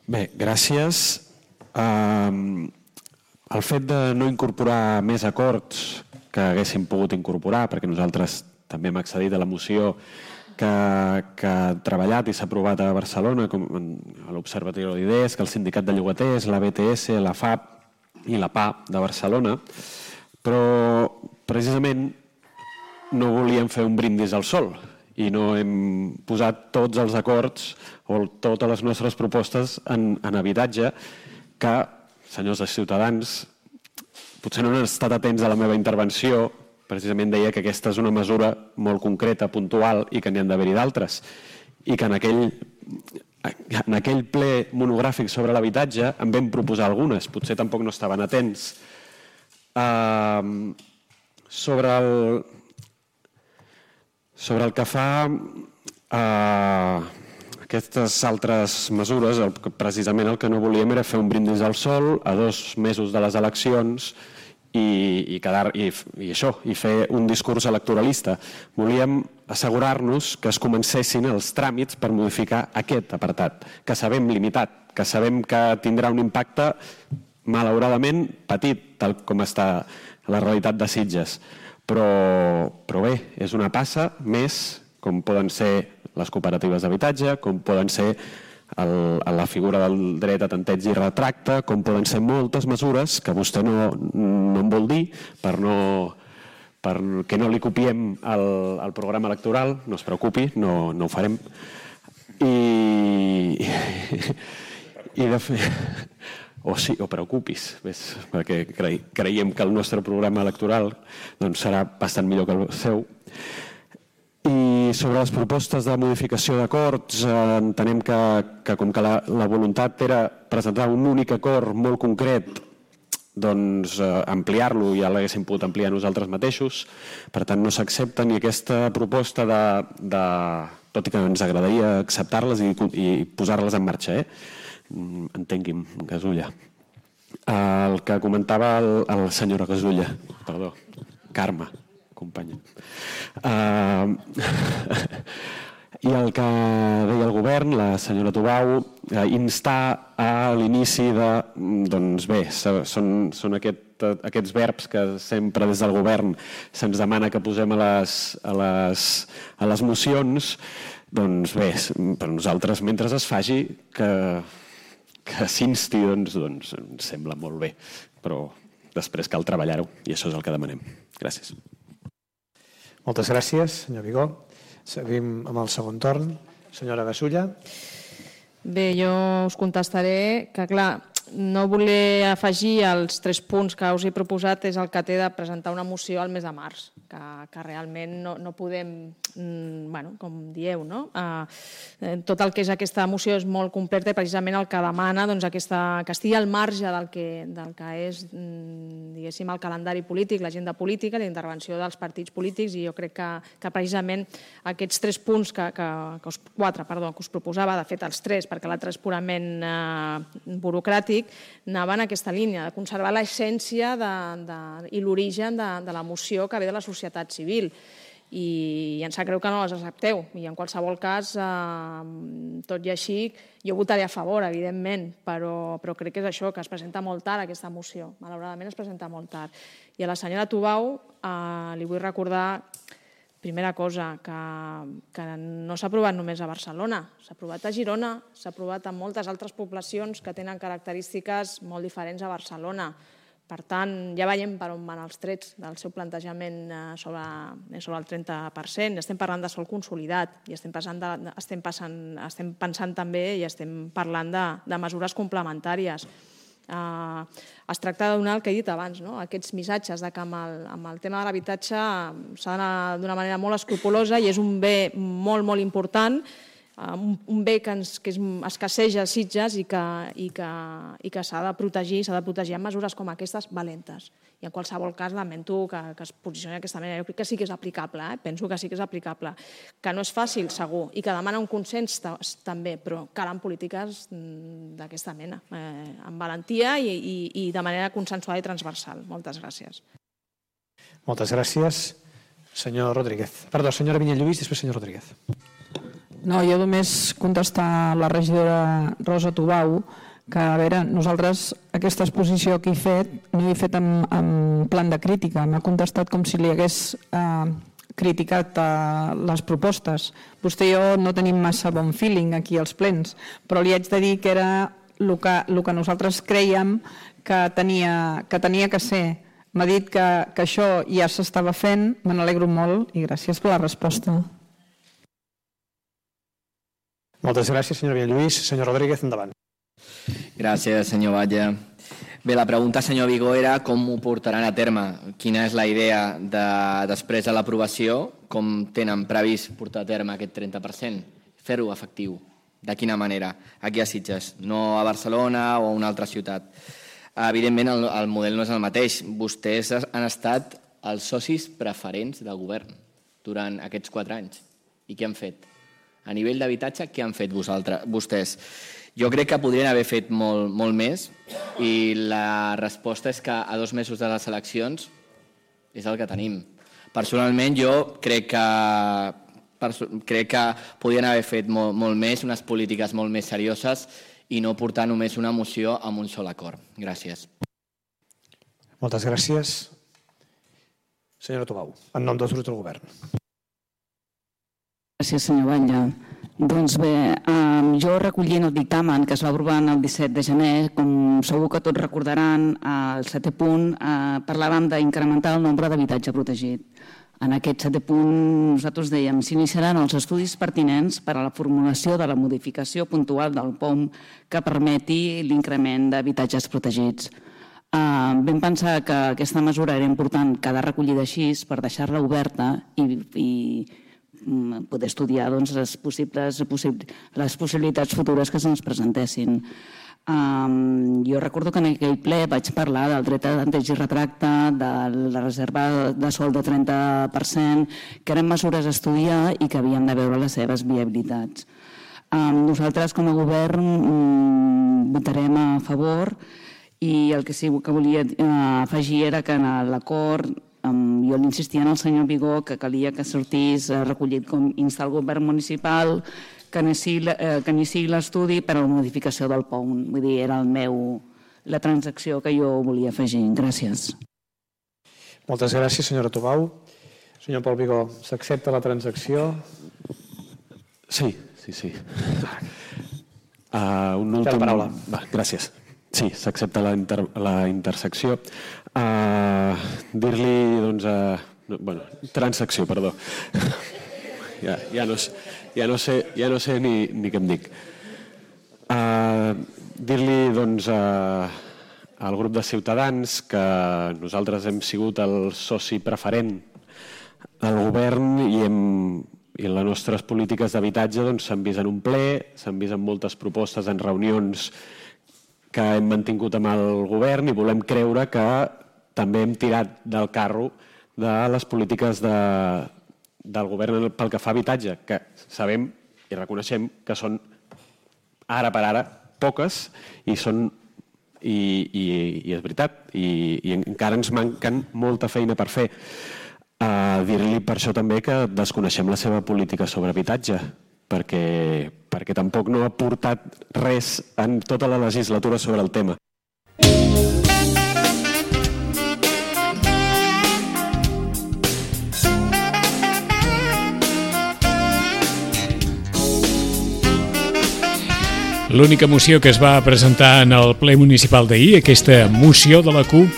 Bé, gràcies. El fet de no incorporar més acords que haguéssim pogut incorporar, perquè nosaltres també hem accedit a la moció que ha treballat i s'ha aprovat a Barcelona, com a l'Observatori d'Idees, que el Sindicat de Llogaters, la BTS, la FAP i la PA de Barcelona, però precisament no volíem fer un brindis al sol i no hem posat tots els acords o totes les nostres propostes en habitatge que, senyors de Ciutadans, potser no han estat atents a la meva intervenció, precisament deia que aquesta és una mesura molt concreta, puntual, i que n'hi han d'haver-hi d'altres. I que en aquell ple monogràfic sobre l'habitatge en vam proposar algunes, potser tampoc no estaven atents. Sobre el que fa aquestes altres mesures, precisament el que no volíem era fer un brindis al sol a 2 mesos de les eleccions i fer un discurs electoralista. Volíem assegurar-nos que es comencessin els tràmits per modificar aquest apartat, que sabem limitat, que sabem que tindrà un impacte malauradament petit, tal com està la realitat de Sitges. Però bé, és una passa més, com poden ser les cooperatives d'habitatge, com poden ser la figura del dret a tanteig i retracte, com poden ser moltes mesures que vostè no en vol dir perquè no li copiem el programa electoral, no es preocupi, no ho farem. I de fet... O sí, o preocupis, perquè creiem que el nostre programa electoral serà bastant millor que el seu. I sobre les propostes de modificació d'acords, entenem que com que la voluntat era presentar un únic acord molt concret, doncs ampliar-lo ja l'haguéssim pogut ampliar nosaltres mateixos. Per tant, no s'accepta ni aquesta proposta tot i que ens agradaria acceptar-les i posar-les en marxa, entengui'm, Gasulla. El que comentava el senyora Gasulla, perdó, Carme, companya. I el que deia el govern, la senyora Tubau, instar a l'inici de... Doncs bé, són aquests verbs que sempre des del govern se'ns demana que posem a les mocions. Doncs bé, per nosaltres, mentre es faci, que s'insti, doncs ens sembla molt bé, però després cal treballar-ho i això és el que demanem. Gràcies. Moltes gràcies, senyor Vigó. Seguim amb el segon torn. Senyora Gasulla. Bé, jo us contestaré que, clar, no voler afegir els 3 punts que us he proposat és el que té de presentar una moció al mes de març, que realment no podem, com dieu, no? Tot el que és aquesta moció és molt completa i precisament el que demana que estigui al marge del que és, diguéssim, el calendari polític, l'agenda política, la intervenció dels partits polítics, i jo crec que precisament aquests 3 punts, 4, que us proposava, de fet els 3, perquè l'altre és purament burocràtic, anaven en aquesta línia, de conservar l'essència i l'origen de la moció que ve de la societat civil. I em sap greu que no les accepteu. I en qualsevol cas, tot i així, jo votaré a favor, evidentment, però crec que és això, que es presenta molt tard aquesta moció. Malauradament es presenta molt tard. I a la senyora Tubau li vull recordar, primera cosa, que no s'ha aprovat només a Barcelona, s'ha aprovat a Girona, s'ha aprovat a moltes altres poblacions que tenen característiques molt diferents a Barcelona. Per tant, ja veiem per on van els trets del seu plantejament sobre el 30%. Estem parlant de sòl consolidat i estem pensant també i estem parlant de mesures complementàries. Es tracta de donar el que he dit abans, aquests missatges que amb el tema de l'habitatge s'ha d'anar d'una manera molt escrupulosa i és un bé molt, molt important un bé que escasseja a Sitges i que s'ha de protegir amb mesures com aquestes valentes. I en qualsevol cas lamento que es posicioni d'aquesta manera. Jo crec que sí que és aplicable, penso que sí que és aplicable. Que no és fàcil, segur, i que demana un consens també, però calen polítiques d'aquesta mena, amb valentia i de manera consensuada i transversal. Moltes gràcies. Moltes gràcies. Senyor Rodríguez. Perdó, senyora Vinyalluís, després senyor Rodríguez. No, jo només contestar a la regidora Rosa Tubau que, a veure, nosaltres aquesta exposició que he fet no he fet en plan de crítica, m'ha contestat com si li hagués criticat les propostes. Vostè i jo no tenim massa bon feeling aquí als plens, però li haig de dir que era el que nosaltres creiem que tenia que ser. M'ha dit que això ja s'estava fent, me n'alegro molt i gràcies per la resposta. Moltes gràcies, senyora Villalluís. Senyor Rodríguez, endavant. Gràcies, senyor Batlle. Bé, la pregunta, senyor Vigó, era com ho portaran a terme. Quina és la idea després de l'aprovació, com tenen previst portar a terme aquest 30%? Fer-ho efectiu. De quina manera? Aquí a Sitges, no a Barcelona o a una altra ciutat. Evidentment, el model no és el mateix. Vostès han estat els socis preferents del govern durant aquests 4 anys. I què han fet? A nivell d'habitatge, què han fet vostès? Jo crec que podrien haver fet molt més i la resposta és que a 2 mesos de les eleccions és el que tenim. Personalment, jo crec que podrien haver fet molt més, unes polítiques molt més serioses i no portar només una moció amb un sol acord. Gràcies. Moltes gràcies. Senyora Tubau, en nom dels grups del govern. Gràcies, senyor Batlle. Doncs bé, jo recollint el dictamen que es va aprovar el 17 de gener, com segur que tots recordaran, al 7è punt parlàvem d'incrementar el nombre d'habitatge protegit. En aquest 7è punt nosaltres dèiem s'iniciaran els estudis pertinents per a la formulació de la modificació puntual del POM que permeti l'increment d'habitatges protegits. Vam pensar que aquesta mesura era important quedar recollida així per deixar-la oberta i poder estudiar les possibilitats futures que se'ns presentessin. Jo recordo que en aquell ple vaig parlar del dret a tanteig i retracte, de la reserva de sòl de 30%, que eren mesures a estudiar i que havien de veure les seves viabilitats. Nosaltres com a govern votarem a favor i el que sí que volia afegir era que en l'acord jo l'insistia en el senyor Vigó que calia que sortís recollit com instar el govern municipal que iniciï l'estudi per a la modificació del POM. Vull dir, era la transacció que jo volia afegir. Gràcies. Moltes gràcies, senyora Tubau. Senyor Pol Vigó, s'accepta la transacció? Sí. Un últim... Té la paraula. Gràcies. Sí, s'accepta la intersecció. Dir-li, doncs... transacció, perdó. Ja no sé ni què em dic. Dir-li, doncs, al grup de Ciutadans que nosaltres hem sigut el soci preferent del govern i les nostres polítiques d'habitatge s'han vist en un ple, s'han vist en moltes propostes, en reunions que hem mantingut amb el govern i volem creure que també hem tirat del carro de les polítiques del govern pel que fa a habitatge, que sabem i reconeixem que són ara per ara poques i és veritat, i encara ens manquen molta feina per fer. Dir-li per això també que desconeixem la seva política sobre habitatge, perquè tampoc no ha portat res en tota la legislatura sobre el tema. L'única moció que es va presentar en el ple municipal d'ahir, aquesta moció de la CUP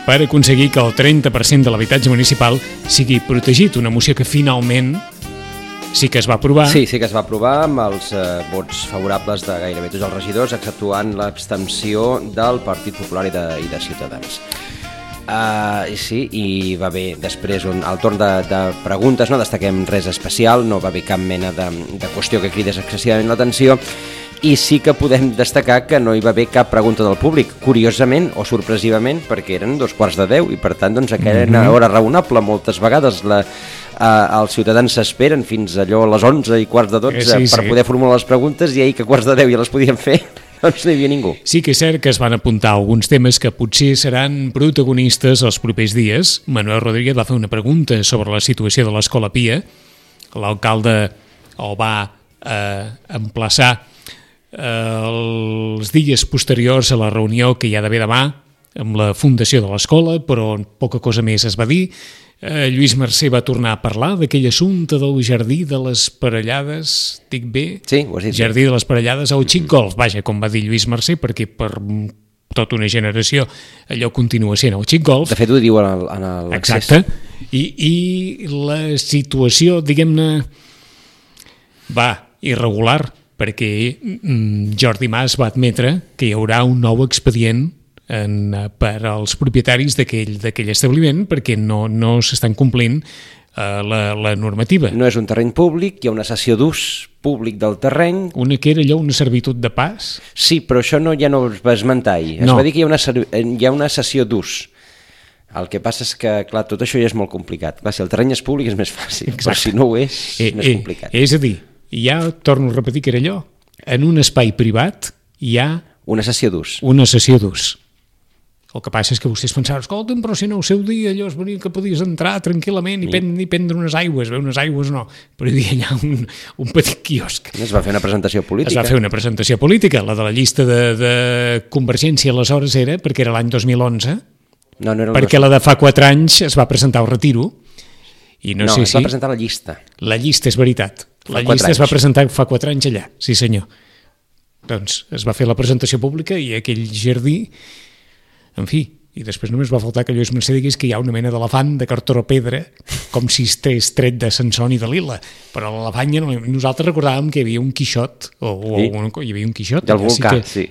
per aconseguir que el 30% de l'habitatge municipal sigui protegit, una moció que finalment sí que es va aprovar. Sí que es va aprovar amb els vots favorables de gairebé tots els regidors, exceptuant l'abstenció del Partit Popular i de Ciutadans. Sí, i va haver després al torn de preguntes, no destaquem res especial, no va haver cap mena de qüestió que cridés excessivament l'atenció, i sí que podem destacar que no hi va haver cap pregunta del públic, curiosament o sorpresivament, perquè eren 2:45 i per tant doncs, aquella era una hora raonable. Moltes vegades els ciutadans s'esperen fins allò a les 11:15 per poder formular les preguntes, i ahir que a 11:45 ja les podien fer, doncs no hi havia ningú. Sí que és cert que es van apuntar alguns temes que potser seran protagonistes els propers dies. Manuel Rodríguez va fer una pregunta sobre la situació de l'Escola Pia. L'alcalde el va emplaçar els dies posteriors a la reunió que hi ha d'haver demà amb la fundació de l'escola, però poca cosa més es va dir. Lluís Mercè va tornar a parlar d'aquell assumpte del Jardí de les Parellades, dic bé? Sí, ho has dit. Jardí de les Parellades, o Xic Golf, vaja, com va dir Lluís Mercè, perquè per tota una generació allò continua sent el Xic Golf. De fet, ho diu en l'accés. Exacte. I la situació, diguem-ne, va irregular, perquè Jordi Mas va admetre que hi haurà un nou expedient per als propietaris d'aquell establiment perquè no s'estan complint la normativa. No és un terreny públic, hi ha una cessió d'ús públic del terreny. Una que era allò, una servitud de pas? Sí, però això ja no es va esmentar ahir. Es va dir que hi ha una cessió d'ús. El que passa és que, clar, tot això ja és molt complicat. Clar, si el terreny és públic és més fàcil, però si no ho és, més complicat. És a dir, ja torno a repetir que era allò, en un espai privat hi ha... Una cessió d'ús. Una cessió d'ús. El que passa és que vostès pensaven, escolta'm, però si no el seu dia allò es venia que podies entrar tranquil·lament i prendre unes aigües, bé, unes aigües no, però hi havia allà un petit quiosc. Es va fer una presentació política. Es va fer una presentació política, la de la llista de Convergència aleshores era, perquè era l'any 2011, no era perquè la de fa 4 anys es va presentar al retiro, i no sé es va presentar la llista. La llista, és veritat. La llista es va presentar fa 4 anys allà, sí senyor. Doncs es va fer la presentació pública i aquell jardí, en fi, i després només va faltar que Lluís Mercè digués que hi ha una mena d'elefant de cartró pedra, com si estigués tret de Sansón i de Lila, però l'elefant nosaltres recordàvem que hi havia un Quixot, hi havia un Quixot. Del volcà, sí.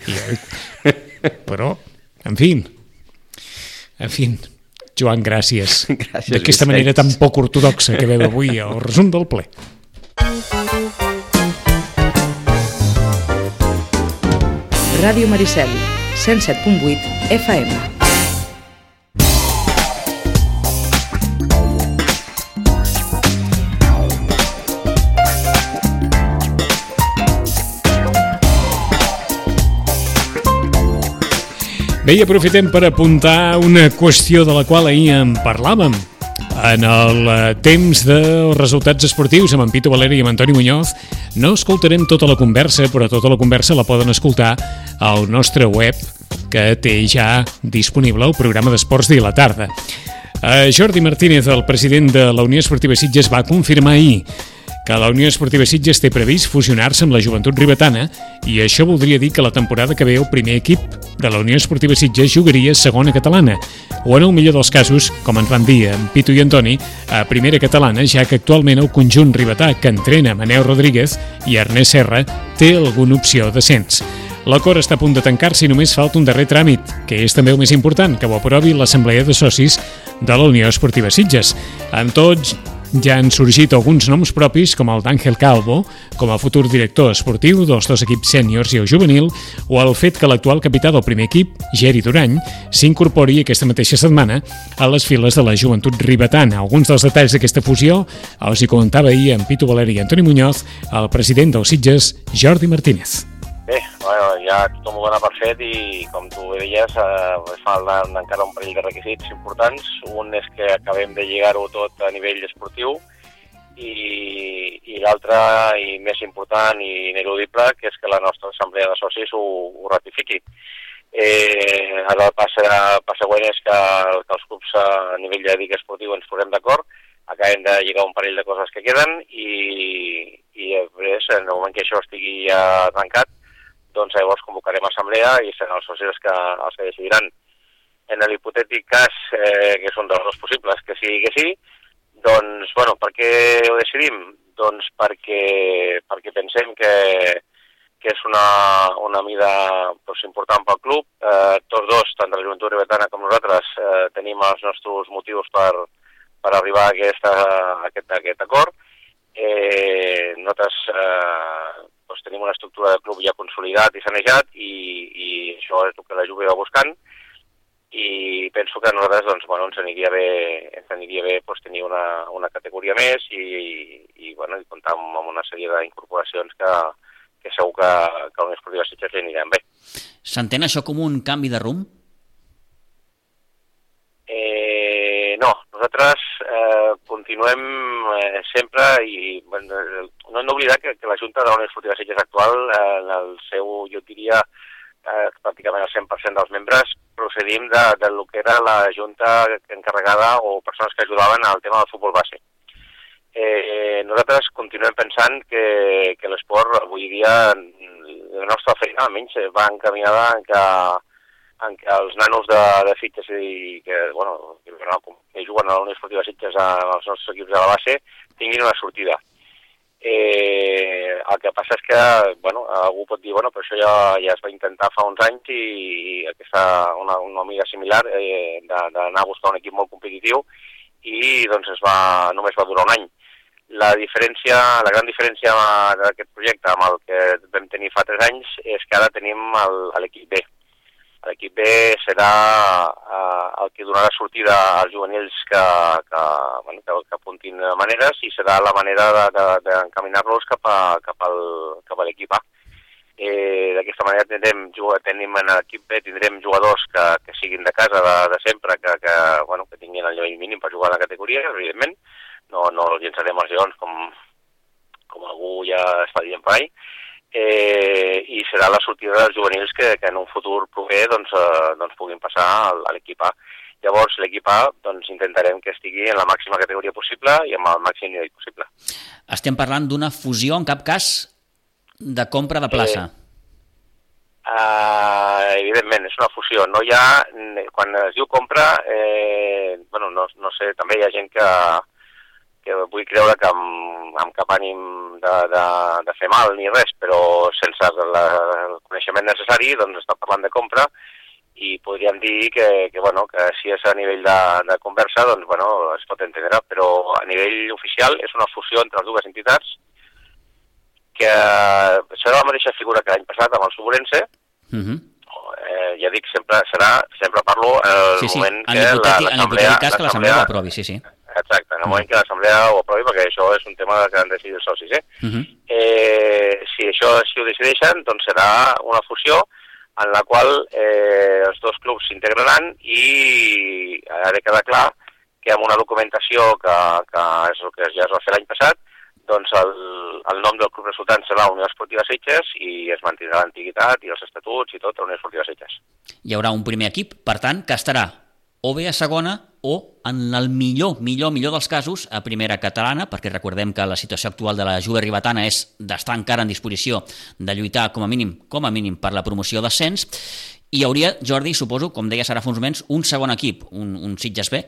Però, en fi, Joan, gràcies. D'aquesta manera tan poc ortodoxa que veu avui el resum del ple. Ràdio Maricel, 107.8 FM. Bé, i aprofitem per apuntar una qüestió de la qual ahir en parlàvem. En el temps dels resultats esportius amb en Pitu Valeri i amb Antoni Muñoz no escoltarem tota la conversa, però tota la conversa la poden escoltar al nostre web que té ja disponible el programa d'Esports de la tarda. Jordi Martínez, el president de la Unió Esportiva Sitges, va confirmar ahir que la Unió Esportiva Sitges té previst fusionar-se amb la Joventut Ribetana i això voldria dir que la temporada que ve el primer equip de la Unió Esportiva Sitges jugaria a segona catalana o en el millor dels casos, com ens van dir en Pitu i Antoni, a primera catalana, ja que actualment el conjunt ribetà que entrena Manel Rodríguez i Ernest Serra té alguna opció d'ascens. L'acord està a punt de tancar-se i només falta un darrer tràmit, que és també el més important, que ho aprovi l'Assemblea de Socis de la Unió Esportiva Sitges. Amb tots, ja han sorgit alguns noms propis, com el d'Àngel Calvo, com a futur director esportiu dels dos equips sèniors i el juvenil, o el fet que l'actual capità del primer equip, Geri Durany, s'incorpori aquesta mateixa setmana a les files de la Joventut Ribetana. Alguns dels detalls d'aquesta fusió els hi comentava ahir en Pitu Valeri i Antoni Muñoz, el president dels Sitges, Jordi Martínez. Bé, ja tothom ho dona per fet i, com tu deies, falten encara un parell de requisits importants. Un és que acabem de lligar-ho tot a nivell esportiu i l'altre, i més important i ineludible, que és que la nostra assemblea de socis ho ratifiqui. Ara el pas següent és que els clubs a nivell, ja dic, esportiu ens posem d'acord, acabem de lligar un parell de coses que queden i després, en el moment que això estigui ja tancat, doncs llavors convocarem assemblea i seran els socis els que decidiran. En l'hipotètic cas, que és un dels dos possibles, que sigui que sí, doncs, per què ho decidim? Doncs perquè pensem que que és una mida important pel club. Tots dos, tant de la Joventut Ribetana com nosaltres, tenim els nostres motius per arribar a aquest acord. Nosaltres tenim una estructura de club ja consolidat i sanejat i això és el que la Juve va buscant i penso que a nosaltres ens aniria bé tenir una categoria més i comptar amb una sèrie d'incorporacions que segur que a la Unió Esportiva Sitges li aniran bé. S'entén això com un canvi de rumb? No, nosaltres continuem sempre i no hem d'oblidar que la Junta de la Unió Esportiva Sitges actual, en el seu, jo diria, pràcticament el 100% dels membres, procedim del que era la Junta encarregada o persones que ajudaven al tema del futbol base. Nosaltres continuem pensant que l'esport avui dia, la nostra feina almenys, va encaminada en que els nanos de Sitges que juguen a la Unió Esportiva Sitges als nostres equips de la base tinguin una sortida. El que passa és que algú pot dir però això ja es va intentar fa uns anys i una mida similar d'anar a buscar un equip molt competitiu i només va durar un any. La gran diferència d'aquest projecte amb el que vam tenir fa 3 anys és que ara tenim l'equip B. L'equip B serà el que donarà sortida als juvenils que apuntin maneres i serà la manera d'encaminar-los cap a l'equip A. D'aquesta manera tenim en l'equip B tindrem jugadors que siguin de casa de sempre, que tinguin el nivell mínim per jugar a la categoria, evidentment. No els llençarem als lleons com algú ja està dient per ahí. I serà la sortida dels juvenils que en un futur proper puguin passar a l'equip A. Llavors, l'equip A intentarem que estigui en la màxima categoria possible i amb el màxim nivell possible. Estem parlant d'una fusió, en cap cas, de compra de plaça. Evidentment, és una fusió. No hi ha, quan es diu compra, no sé, també hi ha gent que vull creure que amb cap ànim de fer mal ni res, però sense el coneixement necessari, està parlant de compra i podríem dir que si és a nivell de conversa, es pot entendre, però a nivell oficial és una fusió entre les dues entitats que serà la mateixa figura que l'any passat amb el Subrense. Ja dic, sempre parlo en el moment que l'Assemblea ho aprovi, sí. Exacte, en el moment que l'Assemblea ho aprovi, perquè això és un tema que han decidit els socis. Si això ho decideixen, serà una fusió en la qual els dos clubs s'integraran i ha de quedar clar que amb una documentació que és el que ja es va fer l'any passat, el nom del club resultant serà Unió Esportiva Sitges i es mantindrà l'antiguitat i els estatuts i tot a Unió Esportiva Sitges. Hi haurà un primer equip, per tant, que estarà o bé a segona o, en el millor dels casos, a primera catalana, perquè recordem que la situació actual de la Juve Ribetana és d'estar encara en disposició de lluitar com a mínim per la promoció d'ascens, i hi hauria, Jordi, suposo, com deies ara fa uns moments, un segon equip, un Sitges B,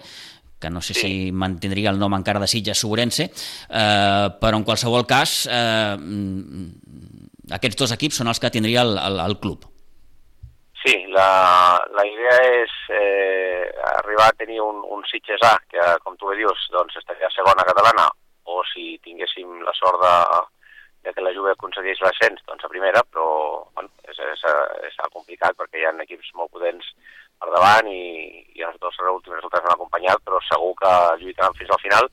que no sé si mantindria el nom encara de Sitges Subrense, però en qualsevol cas aquests dos equips són els que tindria el club. Sí, la idea és arribar a tenir un Sitges A, que com tu bé dius, estaria a segona catalana, o si tinguéssim la sort de que la Juve aconsegueix l'ascens, a primera, però és complicat perquè hi ha equips molt potents per davant i els dos últims resultats han acompanyat, però segur que lluitaran fins al final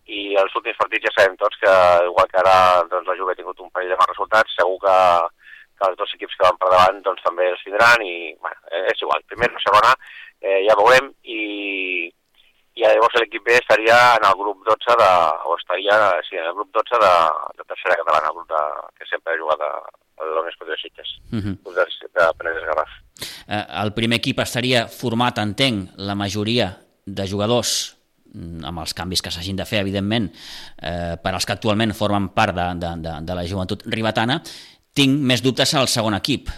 i els últims partits ja sabem tots que igual que ara la Juve ha tingut un parell de mals resultats, segur que els dos equips que van per davant també els tindran i és igual, primera o segona ja veurem i llavors l'equip B estaria en el grup 12 en el grup 12 de tercera catalana, el grup que sempre ha jugat a la Unió Esportiva Sitges, grup de Penedès Garraf. El primer equip estaria format, entenc, la majoria de jugadors amb els canvis que s'hagin de fer, evidentment, per als que actualment formen part de la Joventut Ribetana. Tinc més dubtes al segon equip.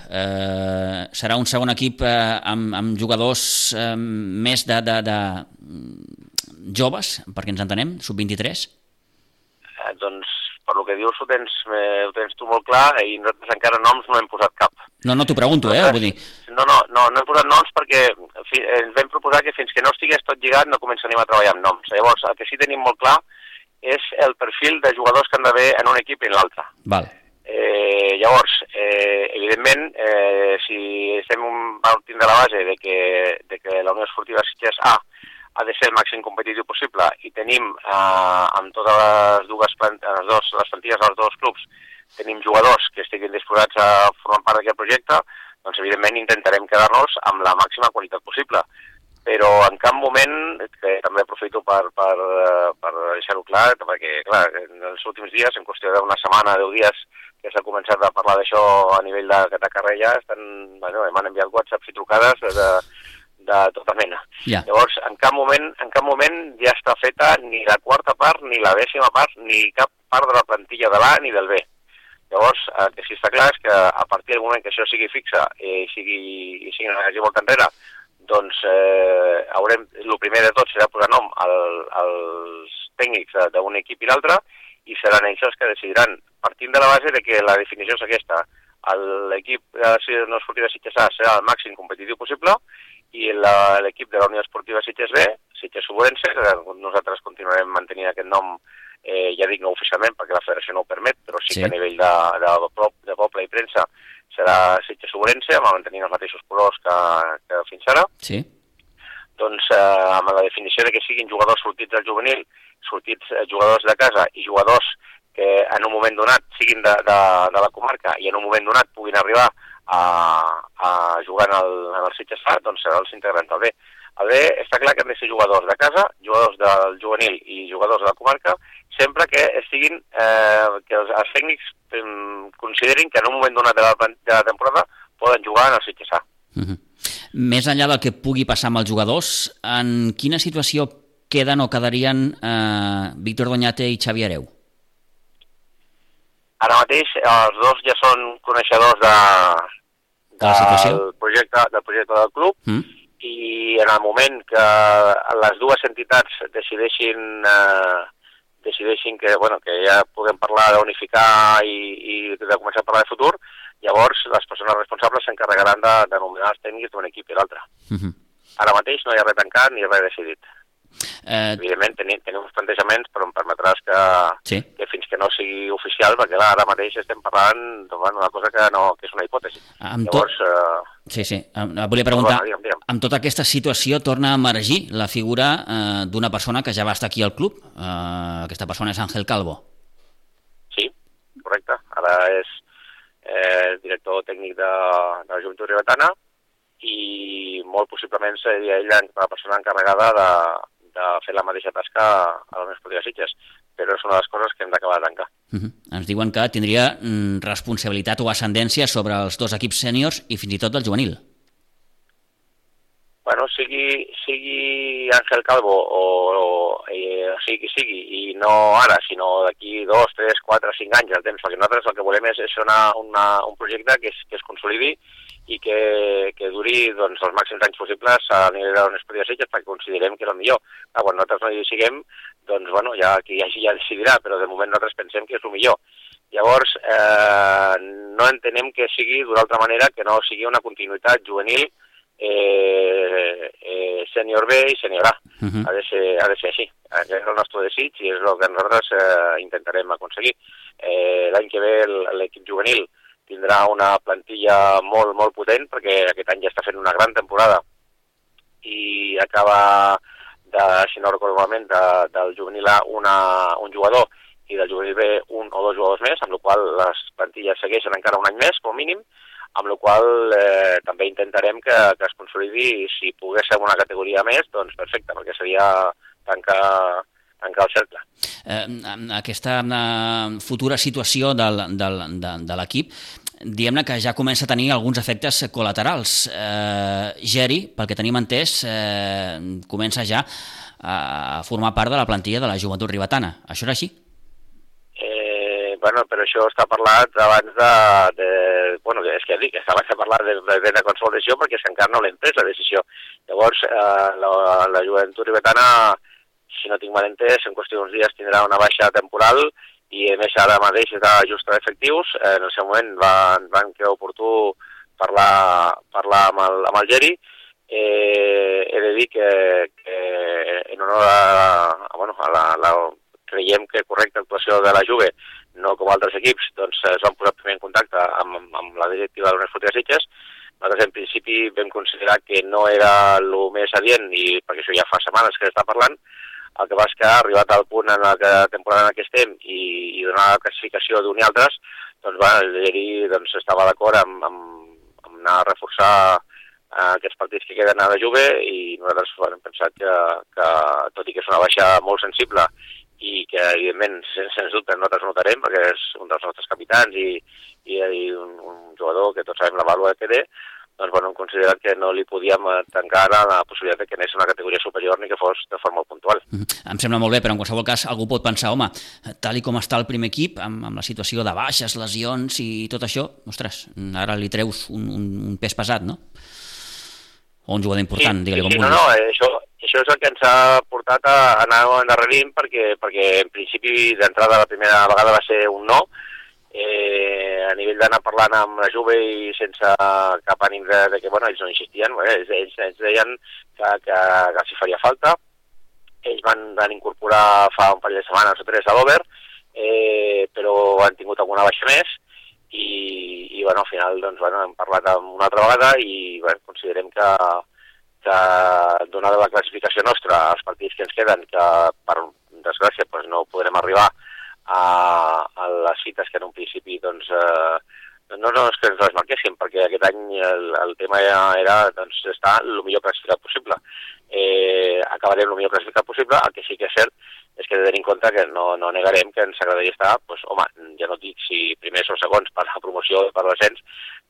Serà un segon equip amb jugadors més de joves, perquè ens entenem, sub-23? per lo que dius ho tens tu molt clar i nosaltres encara noms no hem posat cap. No, t'ho pregunto, vull dir... No hem posat noms perquè ens vam proposar que fins que no estigués tot lligat no començaríem a treballar amb noms. Llavors, el que sí tenim molt clar és el perfil de jugadors que han d'haver en un equip i en l'altre. Val. Llavors, evidentment, si estem partint de la base de que la Unió Esportiva Sitges A ha de ser el màxim competitiu possible i tenim amb totes les plantilles dels dos clubs tenim jugadors que estiguin disposats a formar part d'aquest projecte, doncs evidentment intentarem quedar-nos amb la màxima qualitat possible. Però en cap moment, que també aprofito per deixar-ho clar, perquè clar, en els últims dies, en qüestió d'una setmana, 10 dies, que s'ha començat a parlar d'això a nivell de carrer ja, m'han enviat whatsapps i trucades de tota mena. Yeah. Llavors, en cap moment ja està feta ni la quarta part, ni la 10ª part, ni cap part de la plantilla de l'A ni del B. Llavors, el que sí està clar és que a partir del moment que això sigui fixa i sigui molt enrere, doncs el primer de tot serà posar nom als tècnics d'un equip i l'altre i seran ells els que decidiran, partint de la base de que la definició és aquesta. L'equip de la Unió Esportiva Sitges A serà el màxim competitiu possible i l'equip de la Unió Esportiva Sitges B, Sitges Oburense, nosaltres continuarem mantenint aquest nom, ja dic no oficialment perquè la federació no ho permet, però sí que a nivell de poble i premsa serà Sitges Oburense, mantenint els mateixos colors que fins ara. Sí. Doncs amb la definició de que siguin jugadors sortits del juvenil, sortits jugadors de casa i jugadors que en un moment donat siguin de la comarca i en un moment donat puguin arribar a jugar en el Sitges A, doncs serà els integrants del B. El B està clar que han de ser jugadors de casa, jugadors del juvenil i jugadors de la comarca, sempre que estiguin, que els tècnics considerin que en un moment donat de la temporada poden jugar en el Sitges A. Més enllà del que pugui passar amb els jugadors, en quina situació queden o quedarien Víctor Doñate i Xavi Hereu? Ara mateix els dos ja són coneixedors del projecte del club i en el moment que les dues entitats decideixin que ja puguem parlar d'unificar i de començar a parlar de futur, llavors les persones responsables s'encarregaran de nominar els tècnics d'un equip i l'altre. Ara mateix no hi ha res tancat ni res decidit. Evidentment tenim uns plantejaments, però em permetràs que fins que no sigui oficial, perquè ara mateix estem parlant d'una cosa que és una hipòtesi. Llavors... Volia preguntar, amb tota aquesta situació torna a emergir la figura d'una persona que ja va estar aquí al club, aquesta persona és Ángel Calvo. Sí, correcte, ara és director tècnic de la Joventut Ribetana i molt possiblement seria ell la persona encarregada de fer la mateixa tasca a la Unió Esportiva Sitges, però és una de les coses que hem d'acabar de tancar. Ens diuen que tindria responsabilitat o ascendència sobre els dos equips sèniors i fins i tot del juvenil. Bueno, sigui Ángel Calvo o sigui qui sigui, i no ara, sinó d'aquí 2, 3, 4, 5 anys el temps, perquè nosaltres el que volem és fer un projecte que es consolidi i que duri els màxims anys possibles a nivell de la Unió Esportiva Sitges perquè considerem que és el millor. Quan nosaltres no hi siguem, doncs ja qui hi hagi ja decidirà, però de moment nosaltres pensem que és el millor. Llavors, no entenem que sigui d'una altra manera que no sigui una continuïtat juvenil sènior B i sènior A. Ha de ser així. Aquest és el nostre desig i és el que nosaltres intentarem aconseguir. L'any que ve l'equip juvenil tindrà una plantilla molt, molt potent, perquè aquest any ja està fent una gran temporada i acaba, si no recordo malament, del juvenil A un jugador i del juvenil B un o dos jugadors més, amb la qual les plantilles segueixen encara un any més, com a mínim, amb la qual també intentarem que es consolidi, si pogués ser una categoria més, doncs perfecte, perquè seria tancar el cercle. Aquesta futura situació de l'equip, diguem-ne que ja comença a tenir alguns efectes col·laterals. Geri, pel que tenim entès, comença ja a formar part de la plantilla de la Joventut Ribetana. Això és així? Bueno, però això està parlat abans és que dic, abans de parlar de consolidació perquè és que encara no l'hem pres la decisió. Llavors, la Joventut Ribetana, si no tinc mal entès, en qüestió d'uns dies tindrà una baixa temporal i a més ara mateix està just d'efectius. En el seu moment van creure oportú parlar amb el Geri. He de dir que en honor a la creiem que correcta actuació de la Juve, no com altres equips, doncs es van posar primer en contacte amb la directiva de l'Unió Esportiva Sitges. Nosaltres en principi vam considerar que no era el més adient, i perquè això ja fa setmanes que està parlant. El que va és que ha arribat al punt en la temporada en què estem i donar la classificació d'un i altres, doncs el Geri estava d'acord amb anar a reforçar aquests partits que queden a la Juve, i nosaltres hem pensat que tot i que és una baixa molt sensible i que evidentment sens dubte nosaltres notarem perquè és un dels nostres capitans i un jugador que tots sabem la vàlua que té, doncs hem considerat que no li podíem tancar ara la possibilitat que anés a una categoria superior ni que fos de forma puntual. Em sembla molt bé, però en qualsevol cas algú pot pensar, home, tal i com està el primer equip, amb la situació de baixes, lesions i tot això, ostres, ara li treus un pes pesat, no? O un jugador important, digue-li com vulguis. No, això és el que ens ha portat a anar endarrerint, perquè en principi d'entrada la primera vegada va ser un no, a nivell d'anar parlant amb la Juve i sense cap ànim de que ells no insistien, ells deien que els hi faria falta. Ells van incorporar fa un parell de setmanes o 3 a l'Over, però han tingut alguna baixa més i al final hem parlat una altra vegada i considerem que donada la classificació nostra als partits que ens queden, que per desgràcia no podrem arribar a les cites que en un principi no és que ens les marquéssim, perquè aquest any el tema era estar el millor classificat possible. Acabarem el millor classificat possible. El que sí que és cert és que he de tenir en compte que no negarem que ens agradaria estar, ja no dic si primers o segons per la promoció o per l'ascens,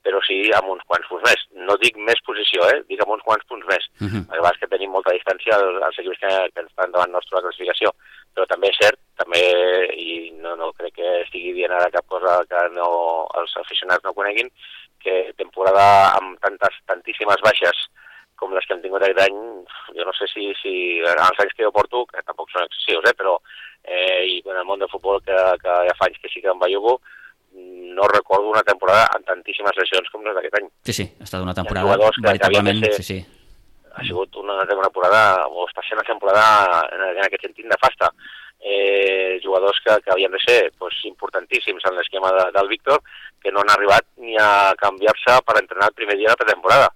però sí amb uns quants punts més. No dic més posició, dic amb uns quants punts més. El que passa és que tenim molta distància als equips que estan davant nostre de la classificació. Però també és cert, i no crec que estigui dient ara cap cosa que els aficionats no coneguin, que temporada amb tantíssimes baixes com les que hem tingut aquest any, jo no sé si en els anys que jo porto, que tampoc són excessius, però i en el món del futbol que ja fa anys que sí que em bellugo, no recordo una temporada amb tantíssimes lesions com les d'aquest any. Sí, ha estat una temporada veritablement... Ha sigut una temporada, o està sent una temporada en aquest sentit nefasta. Jugadors que havien de ser importantíssims en l'esquema del Víctor, que no han arribat ni a canviar-se per entrenar el primer dia de la pretemporada.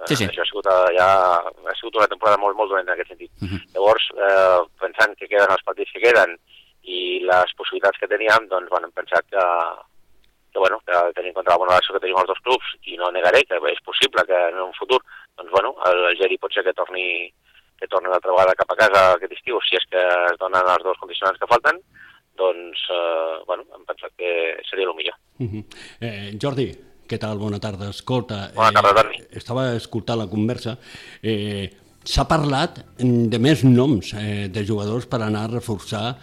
Això ha sigut una temporada molt, molt dolenta en aquest sentit. Llavors, pensant que queden els partits que queden i les possibilitats que teníem, doncs hem pensat que tenint en compte la bona relació que tenim els dos clubs, i no negaré que és possible que en un futur el Geri pot ser que torni l'altra vegada cap a casa aquest estiu, si és que es donen els dos condicionants que falten, doncs hem pensat que seria el millor. Jordi, què tal? Bona tarda. Escolta, bona tarda, Toni. Estava escoltant la conversa. S'ha parlat de més noms de jugadors per anar a reforçar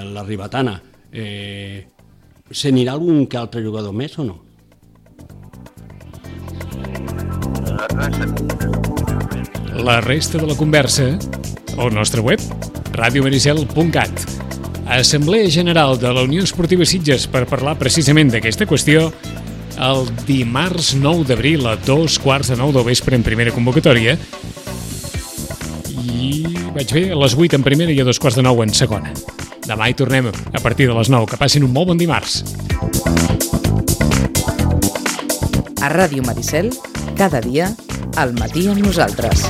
la Ribetana. Se n'irà algun que altre jugador més o no? La resta de la conversa al nostre web, radiomaricel.cat. Assemblea General de la Unió Esportiva Sitges per parlar precisament d'aquesta qüestió el dimarts 9 d'abril a 8:45 del vespre en primera convocatòria i vaig bé a les 8 en primera i a 8:45 en segona. Demà hi tornem a partir de les 9. Que passin un molt bon dimarts. A Ràdio Maricel, cada dia, al matí amb nosaltres.